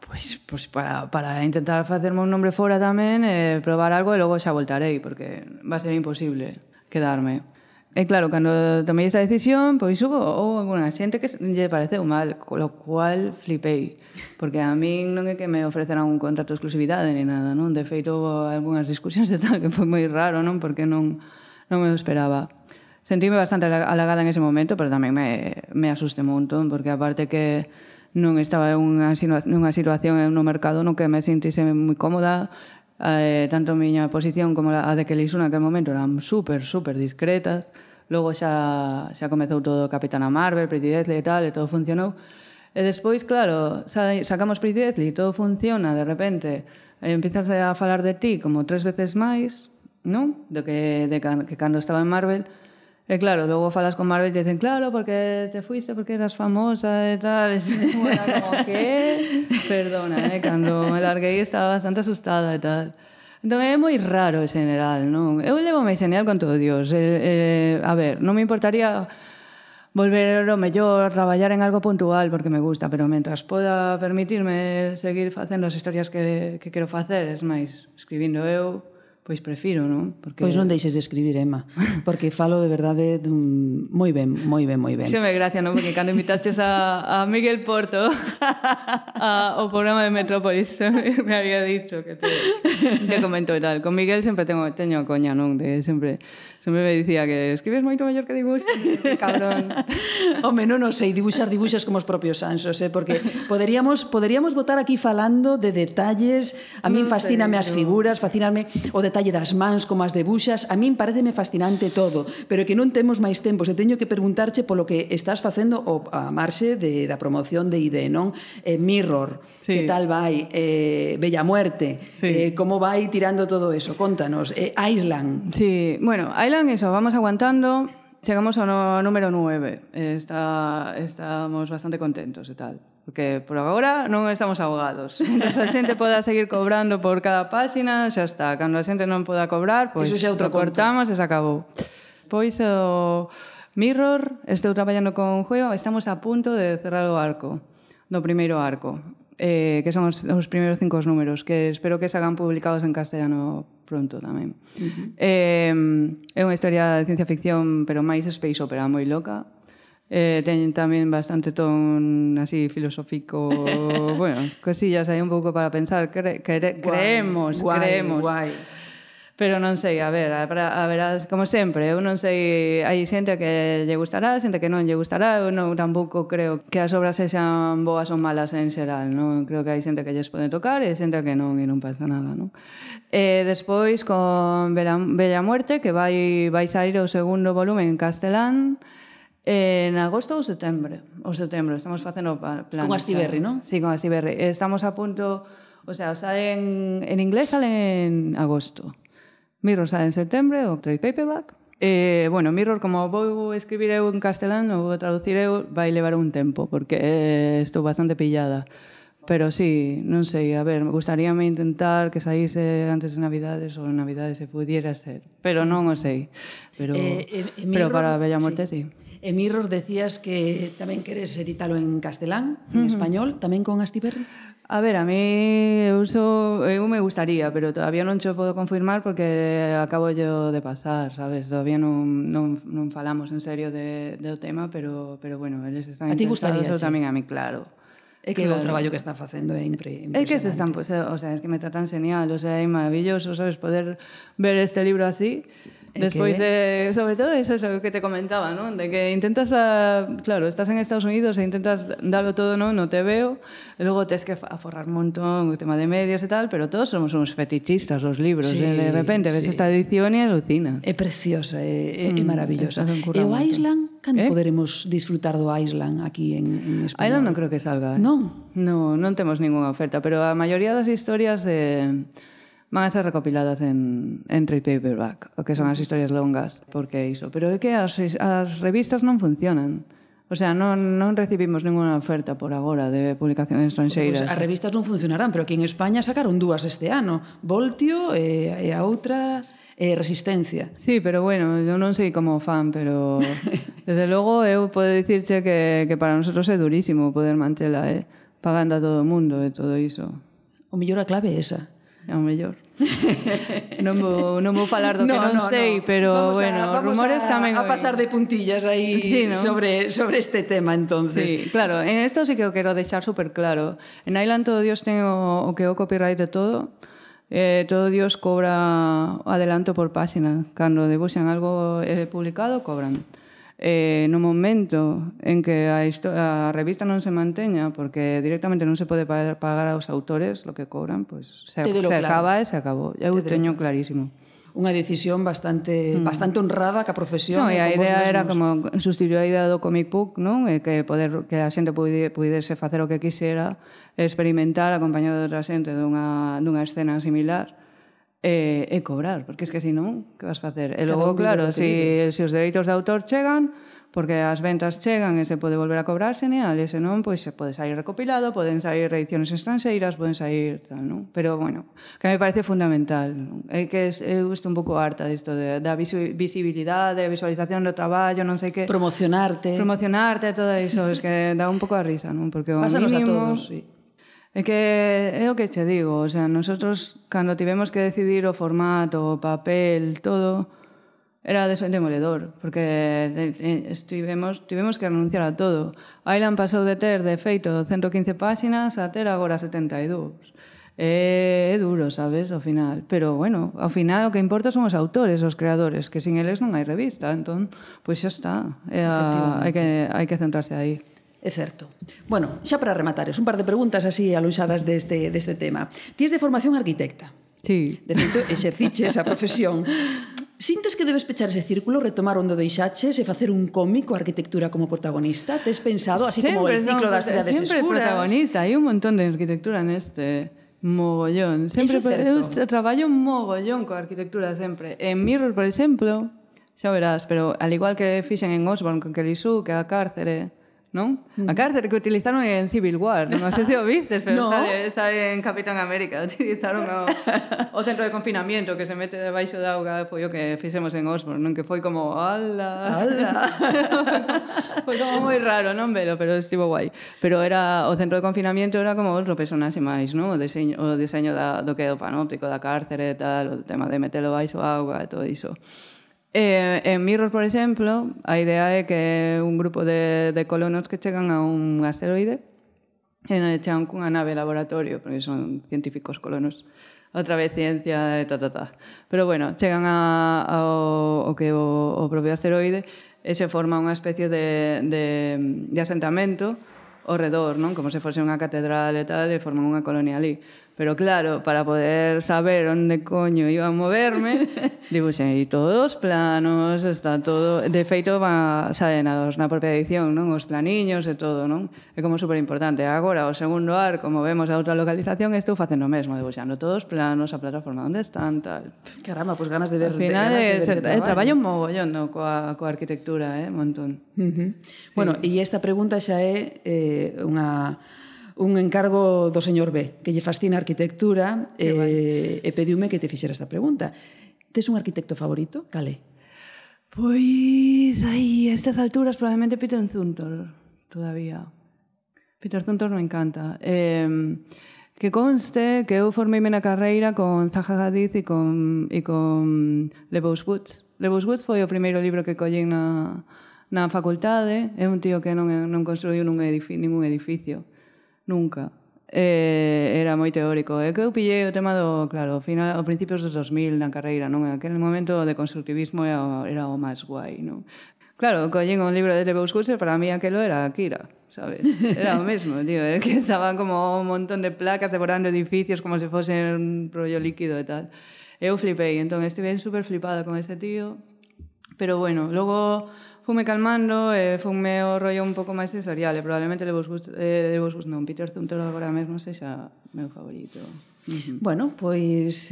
pois para intentar facerme un nombre fora tamén, probar algo e logo xa voltarei, porque va a ser imposible quedarme. E claro, cando tomei esa decisión, pois hubo alguna xente que lle pareceu mal, lo cual flipei, porque a min non é que me ofreceran un contrato de exclusividade ni nada, non? De feito, houve algunhas discusións e tal, que foi moi raro, non? Porque non me esperaba. Sentíme bastante halagada en ese momento, pero tamén me asusté un montón, porque aparte que non estaba nunha situación no mercado no que me sentise moi cómoda, tanto a miña posición como a de Kelly Sue naquele momento eran super discretas. Logo xa comezou todo Capitana Marvel, Pretty Deadly e tal, e todo funcionou. E despois, claro, sacamos Pretty Deadly, todo funciona, de repente empiezas a falar de ti como 3 veces máis, non? Que cando estaba en Marvel. E claro, logo falas con Marvel e dicen, claro, porque te fuiste, porque eras famosa e tal. E era como, que? Perdona, cando me larguei estaba bastante asustada e tal. Entón é moi raro en general, non? Eu levo moi genial con todo Dios. A ver, non me importaría volver o mellor, traballar en algo puntual porque me gusta, pero mentras poda permitirme seguir facendo as historias que quero facer, es máis, escribindo eu, pois prefiro, non? Porque... Pois non deixes de escribir, Emma, porque falo de verdade moi ben. Xe me gracia, non? Porque cando invitastes a Miguel Porto ao programa de Metrópolis, me había dicho que te comento e tal. Con Miguel sempre teño coña, non? De sempre me dicía que escribes moito mellor que dibuixas, que cabrón. Home, non sei, dibuixas como os propios Sansos, porque poderíamos botar aquí falando de detalles. A min fascíname as figuras, fascíname o detalle das mans como as debuxas. A min pareceme fascinante todo, pero que non temos máis tempo. Se teño que preguntarche polo que estás facendo a marxe da promoción de ID, non? Mirror, sí. Que tal vai? Bella Muerte, sí. Como vai tirando todo eso? Contanos. Island. Sí, bueno, Island, eso, vamos aguantando. Chegamos ao número 9. Estamos bastante contentos e tal. Porque por agora non estamos ahogados. Entón, a xente poda seguir cobrando por cada páxina, xa está. Cando a xente non poda cobrar, pois lo cortamos e se acabou. Pois o Mirror, estou traballando con Juego, estamos a punto de cerrar o arco, do primeiro arco, que son os primeiros 5 números, que espero que se hagan publicados en castellano pronto tamén. É unha historia de ciencia ficción, pero máis space opera, moi loca. Ten tamén bastante ton así filosófico, bueno, cosillas aí un pouco para pensar, creemos. Guai. Pero non sei, a ver, como sempre, eu non sei, hai xente que lle gustará, xente que non lle gustará, eu non tampouco creo que as obras sexan boas ou malas en xeral, non? Creo que hai xente que lles pode tocar e xente que non, e non pasa nada, non? Despois, con Bella Muerte, que vai sair o segundo volumen en castelán, en agosto ou setembro. Estamos facendo planes. Con Astiberri, non? Sí, con Astiberri. Estamos a punto... O sea, en inglés sale en agosto. Mirror sale en septembre, o trade paperback. Bueno, Mirror, como vou escribir eu en castelán, ou vou traducir eu, vai levar un tempo, porque estou bastante pillada. Pero sí, non sei, a ver, me gustaríame intentar que saíse antes de Navidades ou en Navidades se pudiera ser, pero non o sei. Pero para Bella Morte, sí. En Mirror decías que tamén queres editalo en castelán, en español, tamén con Astiberri? A ver, a mí eu me gustaría, pero todavía non cho podo confirmar porque acabo yo de pasar, sabes? Todavía non falamos en serio do tema, pero bueno, eles están interesados tamén a mí, claro. É que o traballo que están facendo é impresionante. É que se están, pues, o sea, es que me tratan genial, o sea, é maravilloso, sabes, poder ver este libro así. Despois de, sobre todo, eso que te comentaba, ¿no? De que intentas, claro, estás en Estados Unidos e intentas darlo todo, ¿no? No te veo, e logo tens que aforrar un montón o tema de medios e tal, pero todos somos uns fetichistas os libros, sí, de repente ves esta edición e alucinas. É preciosa, é maravillosa. E o Island, cando poderemos disfrutar do Island aquí en español? Island non creo que salga. Non? Non temos ninguna oferta, pero a maioría das historias van a ser recopiladas en trade paperback, o que son as historias longas, porque iso. Pero é que as revistas non funcionan. O sea, non recibimos ninguna oferta por agora de publicación estranxeiras. Pues as revistas non funcionarán, pero aquí en España sacaron 2 este ano. Voltio e a outra Resistencia. Sí, pero bueno, eu non sei como fan, pero desde logo eu podo dicirche que para nosotros é durísimo poder manchela, pagando a todo o mundo e todo iso. O mellor a clave é esa. É o mellor. non vou falar do que non sei, pero bueno, rumores tamén a pasar de puntillas aí sí, ¿no? sobre este tema, entonces. Sí, claro, en esto sí que o quero deixar super claro. En Island todo Dios ten o que é o copyright de todo. Todo Dios cobra adelanto por página. Cando debuxan algo publicado, cobran. No momento en que a revista non se manteña, porque directamente non se pode pagar aos autores lo que cobran, pues se acaba e se acabou. Eu teño clarísimo. Unha decisión bastante honrada ca profesión. No, e a idea era como sustituir a idea do comic book, non? Que a xente pudese facer o que quixera, experimentar acompañado de outra xente dunha escena similar. E cobrar, porque es que si non, que vas facer? E logo, claro, se os dereitos de autor chegan, porque as ventas chegan e se pode volver a cobrar, genial, e se non, pois se pode sair recopilado, poden sair reediciones estranxeiras, poden sair tal, non? Pero, bueno, que me parece fundamental. É que eu estou un pouco harta disto da visibilidade, visualización do traballo, non sei que... Promocionarte, todo iso, es que dá un pouco a risa, non? Porque o pásanos mínimo... a todos, sí. É que é o que che digo, o sea, nosotros cando tivemos que decidir o formato, o papel, todo, era demoledor, porque tivemos que renunciar a todo. Island pasou de ter, de feito, 115 páxinas a ter agora 72. É duro, sabes, ao final. Pero, bueno, ao final o que importa son os autores, os creadores, que sin eles non hai revista. Entón, pois xa está. Hai que centrarse aí. É certo. Bueno, xa para rematares, un par de preguntas así aluxadas deste tema. Ti es de formación arquitecta. Sí. De feito, exerciches a profesión. Sintes que debes pechar ese círculo, retomar onde deixaches e facer un cómic coa arquitectura como protagonista? Tes pensado, así como el ciclo das cidades escuras? Sempre protagonista, hai un montón de arquitectura neste mogollón. Sempre eu traballo un mogollón coa arquitectura sempre. En Mirror, por exemplo, xa verás, pero al igual que fixen en Osborn con Kelly Sue, que a cárcere, non? A cárcere que utilizaron en Civil War, non sei se o vistes, pero sale en Capitán América, utilizaron o centro de confinamiento que se mete debaixo da auga, foi o que fixemos en Osborn, non? Que foi como, ala. Foi como moi raro, non velo, pero estivo guai. Pero o centro de confinamiento era como outro personaxe máis, non? O diseño do que é o panóptico da cárcere e tal, o tema de metelo baixo a auga e todo iso. En Mirror, por exemplo, a idea é que un grupo de colonos que chegan a un asteroide e chegan cunha nave laboratorio, porque son científicos colonos, outra vez ciencia e Pero bueno, chegan ao que o propio asteroide e se forma unha especie de asentamento ao redor, non? Como se fose unha catedral e tal, e forman unha colonia ali. Pero claro, para poder saber onde coño iba a moverme, dibuxei todos os planos, está todo... De feito, saen na propia edición, non? Os planiños e todo, non? É como super importante. Agora, o segundo ar, como vemos a outra localización, estou facendo o mesmo, dibuxando todos os planos, a plataforma onde están, tal. Caramba, pues ganas de ver... Al final, traballo un mogollón coa arquitectura, un montón. Bueno, e esta pregunta xa é un encargo do señor B, que lle fascina a arquitectura e pediume que te fixera esta pregunta. Tes un arquitecto favorito? Cale? Pois, a estas alturas probablemente Peter Zumthor, todavía. Peter Zumthor me encanta. Que conste que eu formeime na carreira con Zaha Hadid e con Lebow's Woods. Lebow's Woods foi o primeiro libro que collín na facultade. É un tío que non construiu ningún edificio. Nunca. Era moi teórico. É que eu pillei o tema do, claro, ao principios dos 2000 na carreira, non? En aquel momento de constructivismo era o máis guai, non? Claro, collín un libro de Lebow's Woods e para mí aquelo era Akira, sabes? Era o mesmo, tío. Era que estaban como un montón de placas devorando edificios como se fose un rollo líquido e tal. Eu flipei, entón estive super flipada con ese tío. Pero bueno, logo fume calmando e fume o rollo un pouco máis sensorial e probablemente Lebow's Woods non, Peter Zumthor agora mesmo sexa meu favorito. Bueno, pois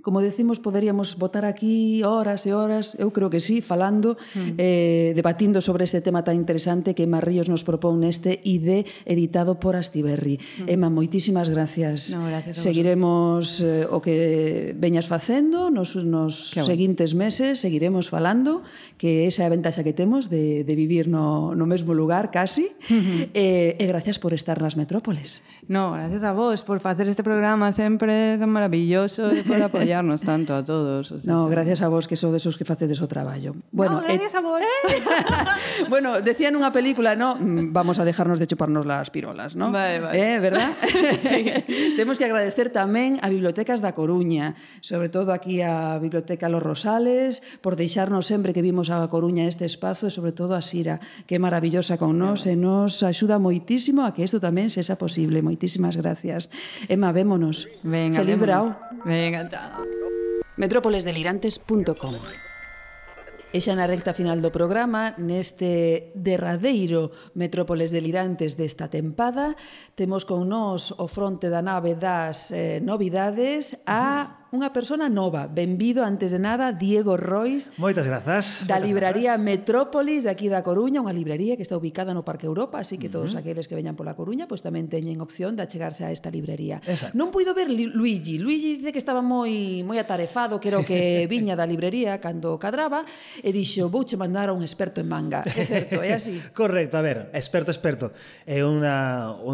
como decimos, poderíamos botar aquí horas e horas, eu creo que sí, falando, debatindo sobre este tema tan interesante que Emma Ríos nos propón neste ID editado por Astiberri. Emma, moitísimas gracias. No, gracias a vos. Seguiremos o que veñas facendo nos seguintes meses, seguiremos falando, que esa é a ventaxa que temos de vivir no mesmo lugar, casi, e gracias por estar nas metrópoles. No, gracias a vos por facer este programa sempre tan maravilloso e por apoiarnos tanto a todos. O sea, no, gracias a vos que sodes os que facedes o traballo. Bueno, no, gracias a vos. Bueno, decía nunha película, no, vamos a dejarnos de chuparnos las pirolas, ¿no? Vale. ¿Verdad? Sí. Temos que agradecer tamén a Bibliotecas da Coruña, sobre todo aquí a Biblioteca Los Rosales, por deixarnos sempre que vimos a Coruña este espazo e sobre todo a Sira, que é maravillosa con nós e nos axuda moitísimo a que isto tamén sexa posible. Moitísimas gracias. Emma, vémonos. Venga, Feliz brau. Venga, chao. Metrópolesdelirantes.com. E xa na recta final do programa, neste derradeiro Metrópoles Delirantes desta tempada, temos con nós o fronte da nave das novidades a unha persona nova. Benvido, antes de nada, Diego Rois. Moitas grazas. Da libraría Metrópolis, de aquí da Coruña, unha librería que está ubicada no Parque Europa, así que todos aqueles que veñan pola Coruña pois tamén teñen opción de achegarse a esta librería. Exacto. Non puido ver Luigi. Luigi dice que estaba moi atarefado, que era o que viña da librería cando cadraba, e dixo, vouche mandar a un experto en manga. É certo, é así? Correcto, a ver, experto. É un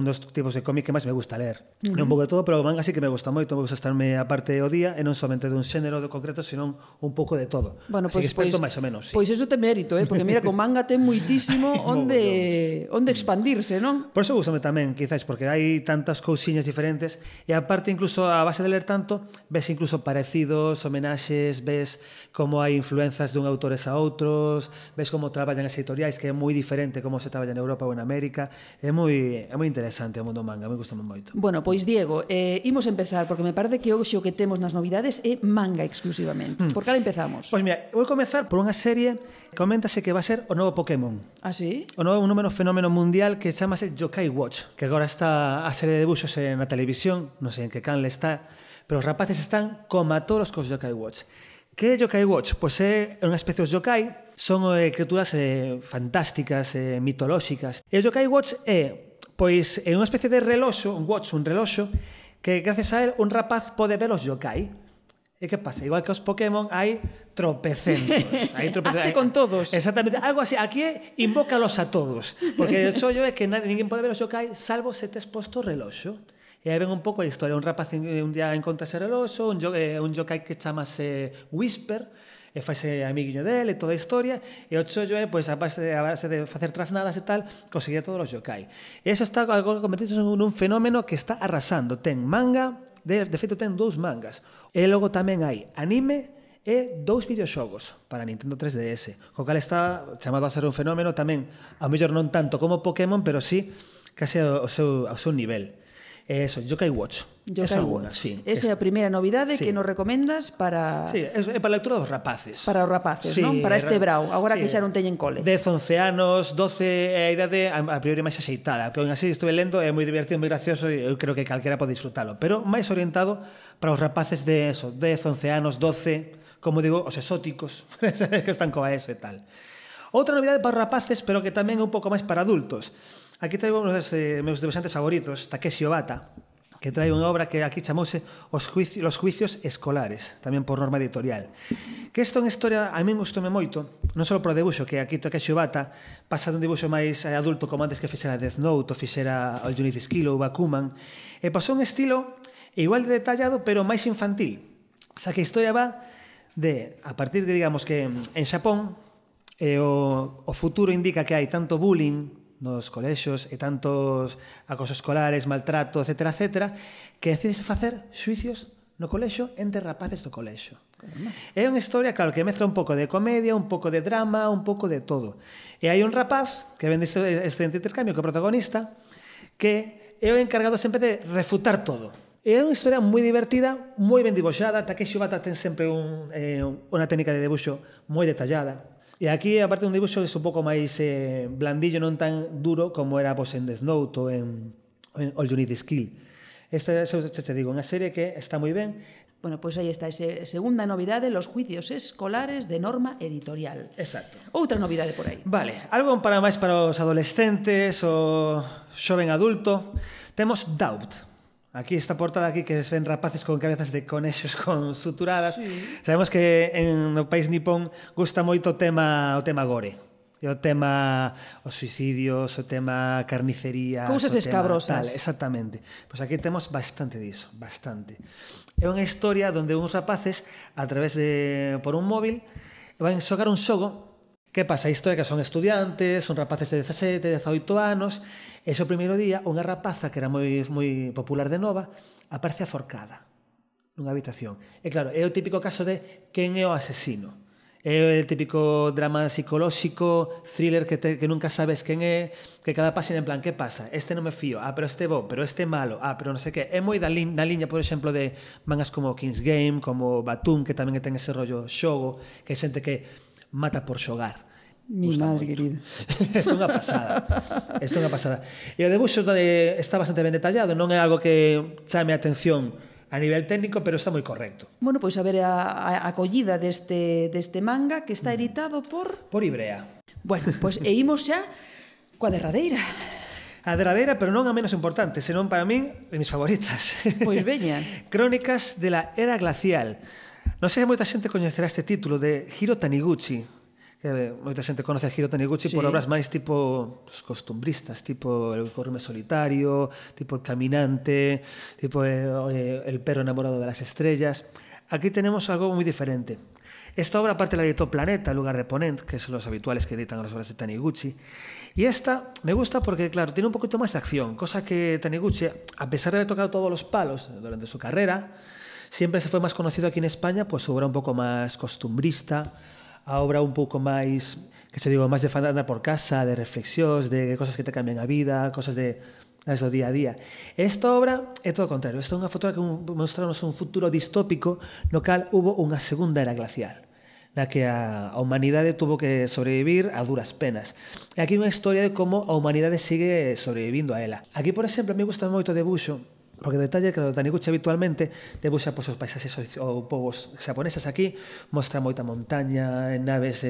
dos tipos de cómic que máis me gusta ler. Non un pouco de todo, pero o manga sí que me gusta moito, me gusta estarme a parte o día, e non somente dun xénero de concreto, senón un pouco de todo. Bueno, pois, experto máis ou menos, sí. Pois eso ten mérito, porque mira, con manga ten muitísimo onde expandirse, non? Por eso gustame tamén, quizáis, porque hai tantas cousiñas diferentes, e aparte, incluso, a base de ler tanto, ves incluso parecidos, homenaxes, ves como hai influenzas dun autores a outros, ves como traballan as editoriais, que é moi diferente como se traballa en Europa ou en América. É moi interesante o mundo manga, me gusta moito. Bueno, pois Diego, imos empezar, porque me parece que hoxe o que temos nas novidades é manga exclusivamente. Por cal empezamos? Pois mira, vou comezar por unha serie que coméntase que va a ser o novo Pokémon. Ah, sí? O novo fenómeno mundial que chamase Yokai Watch, que agora está a serie de debuxos na televisión, non sei en que canle está, pero os rapaces están como a todos cos Yokai Watch. Que é Yokai Watch? Pois é unha especie de yokai, son criaturas fantásticas, mitolóxicas. E o Yokai Watch é unha especie de reloxo, un reloxo, que gracias a él un rapaz pode ver os yokai. E que pasa? Igual que os Pokémon hai tropecentos. Hazte con todos. Exactamente, algo así. Aquí invócalos a todos. Porque o chollo é que ninguén pode ver os yokai salvo se tes posto o reloxo. E aí ven un pouco a historia. Un rapaz un día encontra ese reloxo, un yokai que chamase Whisper, e faise amiguiño dele, toda a historia, e o chollo é, pois, a base de facer trasnadas e tal, conseguir todos os yokai. E iso está convertido nun fenómeno que está arrasando. Ten manga, de feito ten 2 mangas. E logo tamén hai anime e 2 videoxogos para Nintendo 3DS, co cal está chamado a ser un fenómeno tamén, ao mellor non tanto como Pokémon, pero sí case ao seu nivel. Eso, Yokai Watch. Esa unha, sí. Esa é a primeira novidade que nos recomendas para... Sí, é para a lectura dos rapaces. Para os rapaces, Sí, non? Para este brau, agora sí. que xa non teñen cole. 10, 11 anos, 12 é a idade a priori máis axeitada, que aún así estuve lendo, é moi divertido, moi gracioso e eu creo que calquera pode disfrutalo, pero máis orientado para os rapaces de eso, 10, 11 anos, 12, como digo, os exóticos, que están coa eso e tal. Outra novidade para os rapaces, pero que tamén é un pouco máis para adultos. Aquí traigo un dos meus dibuixantes favoritos, Takeshi Obata, que trae unha obra que aquí chamouse Los juicios escolares, tamén por norma editorial. Que esta é unha historia, a mí gustoume moito, non só por o debuxo, que aquí Takeshi Obata pasa dun dibuxo máis adulto como antes que fixera Death Note, ou fixera All You Need Is Kill ou Bakuman, e pasou un estilo igual de detallado, pero máis infantil. O sea, que a historia va de, a partir de, digamos, que en Xapón o futuro indica que hai tanto bullying nos colexios e tantos acosos escolares, maltrato, etcétera, etcétera, que decides facer xuicios no colexio entre rapaces do colexio. É unha historia, claro, que mezcla un pouco de comedia, un pouco de drama, un pouco de todo. E hai un rapaz que vende este intercambio que é o protagonista, que é o encargado sempre de refutar todo. É unha historia moi divertida, moi ben dibuixada. Takeshi Obata ten sempre unha técnica de dibuixo moi detallada. E aquí, aparte un dibuixo, é un pouco máis blandillo, non tan duro como era en Death Note ou en All You Need Is Kill. Esta, te digo, unha serie que está moi ben. Bueno, pois aí está esa segunda novidade, Los juicios escolares de norma editorial. Exacto. Outra novidade por aí. Vale, algo para máis para os adolescentes o xoven adulto. Temos Doubt. Aquí esta portada aquí que ven rapaces con cabezas de conexos con suturadas. Sí. Sabemos que no país nipón gusta moito o tema gore. E o tema os suicidios, o tema carnicería, cousas escabrosas. Exactamente. Pois aquí temos bastante diso, bastante. É unha historia onde uns rapaces a través de por un móvil van xogar un xogo. Que pasa? A historia que son estudiantes, son rapaces de 17, 18 anos, e o primeiro día unha rapaza que era moi popular de Nova aparece aforcada nunha habitación. E claro, é o típico caso de quen é o asesino. É o típico drama psicolóxico, thriller que nunca sabes quen é, que cada página en plan, que pasa? Este non me fío, pero este bo, pero este malo, pero non sei que. É moi na liña, por exemplo, de mangas como King's Game, como Batum, que tamén ten ese rollo xogo, que hai xente que mata por xogar. Mi madre querida. Isto é unha pasada. Isto é unha pasada. E o debuxo está bastante ben detallado, non é algo que chame a atención a nivel técnico, pero está moi correcto. Bueno, pois a ver a acollida deste manga que está editado por Ibrea. Bueno, pois imos xa coa derradeira. A derradeira, pero non a menos importante, senón para min de mis favoritas. Pois veña. Crónicas de la Era Glacial. Non sei se moita xente coñecerá este título de Hiro Taniguchi, que moita xente conoce a Hiro Taniguchi por obras máis tipo costumbristas, tipo El Corrime Solitario, tipo El Caminante, tipo El perro enamorado de las estrellas. Aquí tenemos algo moi diferente. Esta obra aparte la editó Planeta en lugar de Ponent, que son los habituales que editan las obras de Taniguchi. Y esta me gusta porque, claro, tiene un poquito más de acción, cosa que Taniguchi, a pesar de haber tocado todos los palos durante su carrera, siempre se fue más conocido aquí en España, pues su obra un poco más costumbrista, a obra un pouco máis, que se digo, máis de andar por casa, de reflexións, de cosas que te cambian a vida, cosas do día a día. Esta obra é todo o contrario. Esta é unha foto que mostramos un futuro distópico no cal hubo unha segunda era glacial, na que a humanidade tuvo que sobrevivir a duras penas. E aquí unha historia de como a humanidade sigue sobrevivindo a ela. Aquí, por exemplo, me gusta moito o debuxo, porque o detalle que o Taniguchi habitualmente debuxa os paisaxes ou povos xaponeses. Aquí mostra moita montaña, naves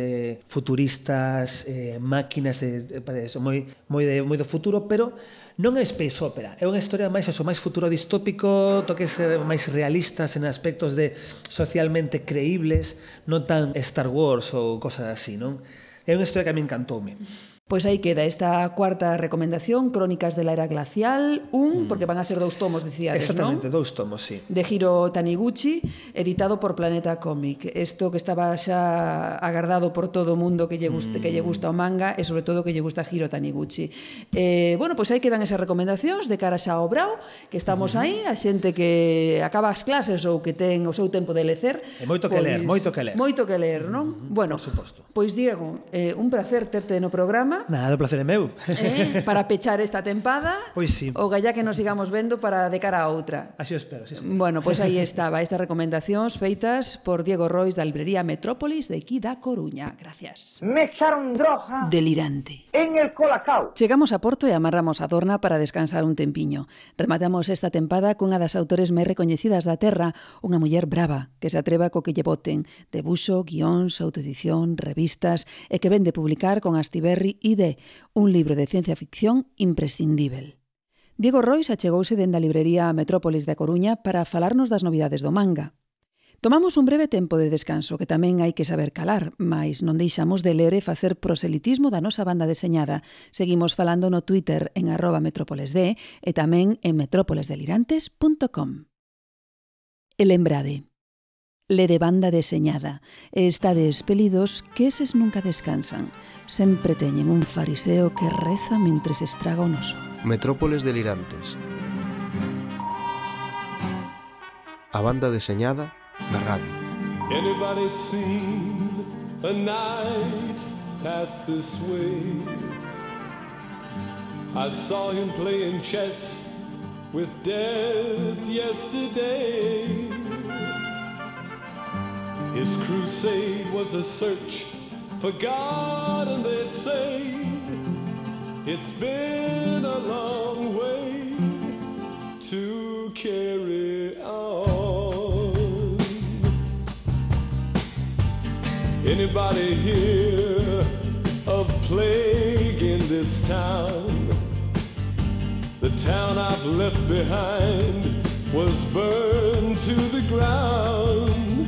futuristas, máquinas moi do futuro, pero non é space opera, é unha historia máis futuro distópico, toques máis realistas en aspectos de socialmente creíbles, non tan Star Wars ou cosas así, non? É unha historia que a mí encantoume. Pois aí queda esta cuarta recomendación, Crónicas de la Era Glacial, porque van a ser 2 tomos, decíades, non? Exactamente, 2 tomos, sí. De Hiro Taniguchi, editado por Planeta Comic. Isto que estaba xa agardado por todo o mundo que lle gusta o manga e sobre todo que lle gusta Hiro Taniguchi. Bueno, pois aí quedan esas recomendacións de cara xa ao brao, que estamos aí, a xente que acaba as clases ou que ten o seu tempo de lecer. E moito que ler, moito que ler. Moito que ler, non? Bueno, por suposto. Pois Diego, un placer terte no programa. Comba. Nada, o placer é meu. Para pechar esta tempada. Pois sí. O galla que nos sigamos vendo para de cara a outra. Así o espero, sí. Bueno, pois aí estaba estas recomendacións feitas por Diego Rois da librería Metrópolis de aquí da Coruña. Gracias. Me echaron droga Delirante. en el Colacao. Chegamos a Porto e amarramos a Dorna para descansar un tempiño. Rematamos esta tempada cunha das autores máis recoñecidas da terra, unha muller brava, que se atreva co que lle boten, debuxo, guións, autoedición, revistas, e que vende publicar con Astiberri ID, un libro de ciencia ficción imprescindível. Diego Rois achegouse dende a librería Metrópolis da Coruña para falarnos das novidades do manga. Tomamos un breve tempo de descanso que tamén hai que saber calar, mais non deixamos de ler e facer proselitismo da nosa banda deseñada. Seguimos falando no Twitter en @metrópolesd e tamén en metrópolesdelirantes.com. E lembrade, le de banda deseñada e estade espelidos que eses nunca descansan. Sempre teñen un fariseo que reza mentres estraga o noso. Metrópoles Delirantes. A banda deseñada da radio. Anybody seen a night pass this way? I saw him playing chess with death yesterday. His crusade was a search for God, and they say it's been a long way to carry on. Anybody hear of plague in this town? The town I've left behind was burned to the ground.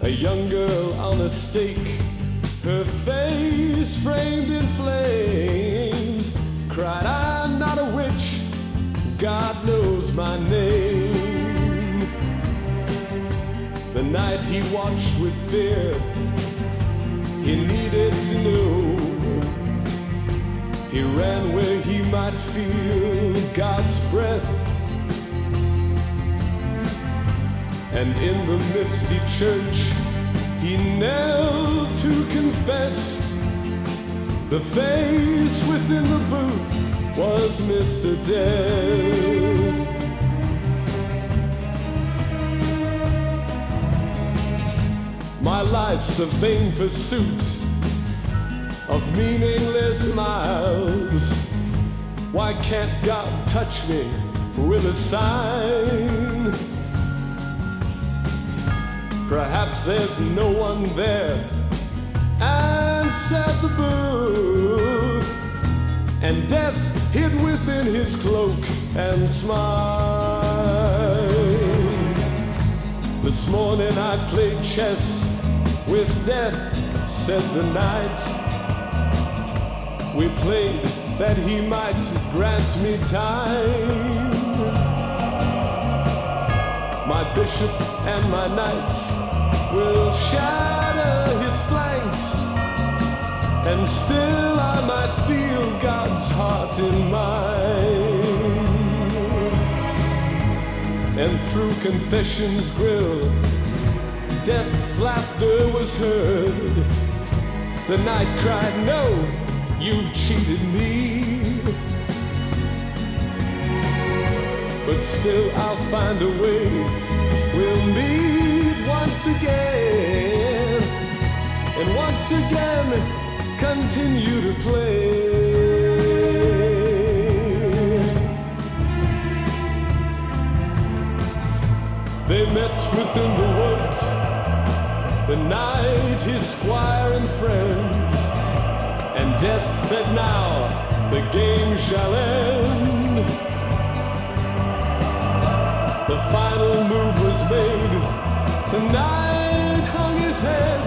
A young girl on a stake, her face framed in flames, cried, "I'm not a witch, God knows my name." The night he watched with fear, he needed to know. He ran where he might feel God's breath. And in the misty church, he knelt to confess. The face within the booth was Mr. Death. My life's a vain pursuit of meaningless miles. Why can't God touch me with a sign? Perhaps there's no one there, answered the booth, and death hid within his cloak and smiled. This morning I played chess with death, said the night. We played that he might grant me time. My bishop and my knights will shatter his flanks, and still I might feel God's heart in mine. And through confession's grill, death's laughter was heard. The night cried, "No, you've cheated me." But still I'll find a way. We'll meet once again, and once again continue to play. They met within the woods, the knight, his squire and friends, and death said, "Now the game shall end." The final move was made. The knight hung his head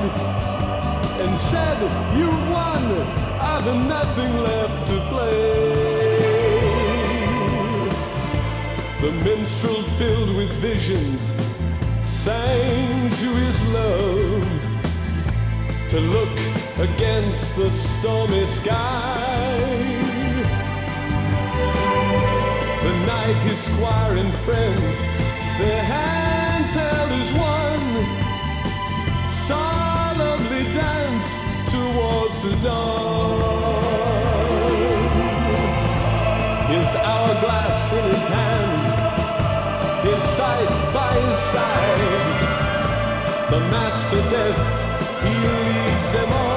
and said, "You've won, I've nothing left to play." The minstrel, filled with visions, sang to his love to look against the stormy sky. The night, his squire and friends, their hands held as one, solemnly danced towards the dawn. His hourglass in his hand, his scythe by his side. The master death, he leads them on.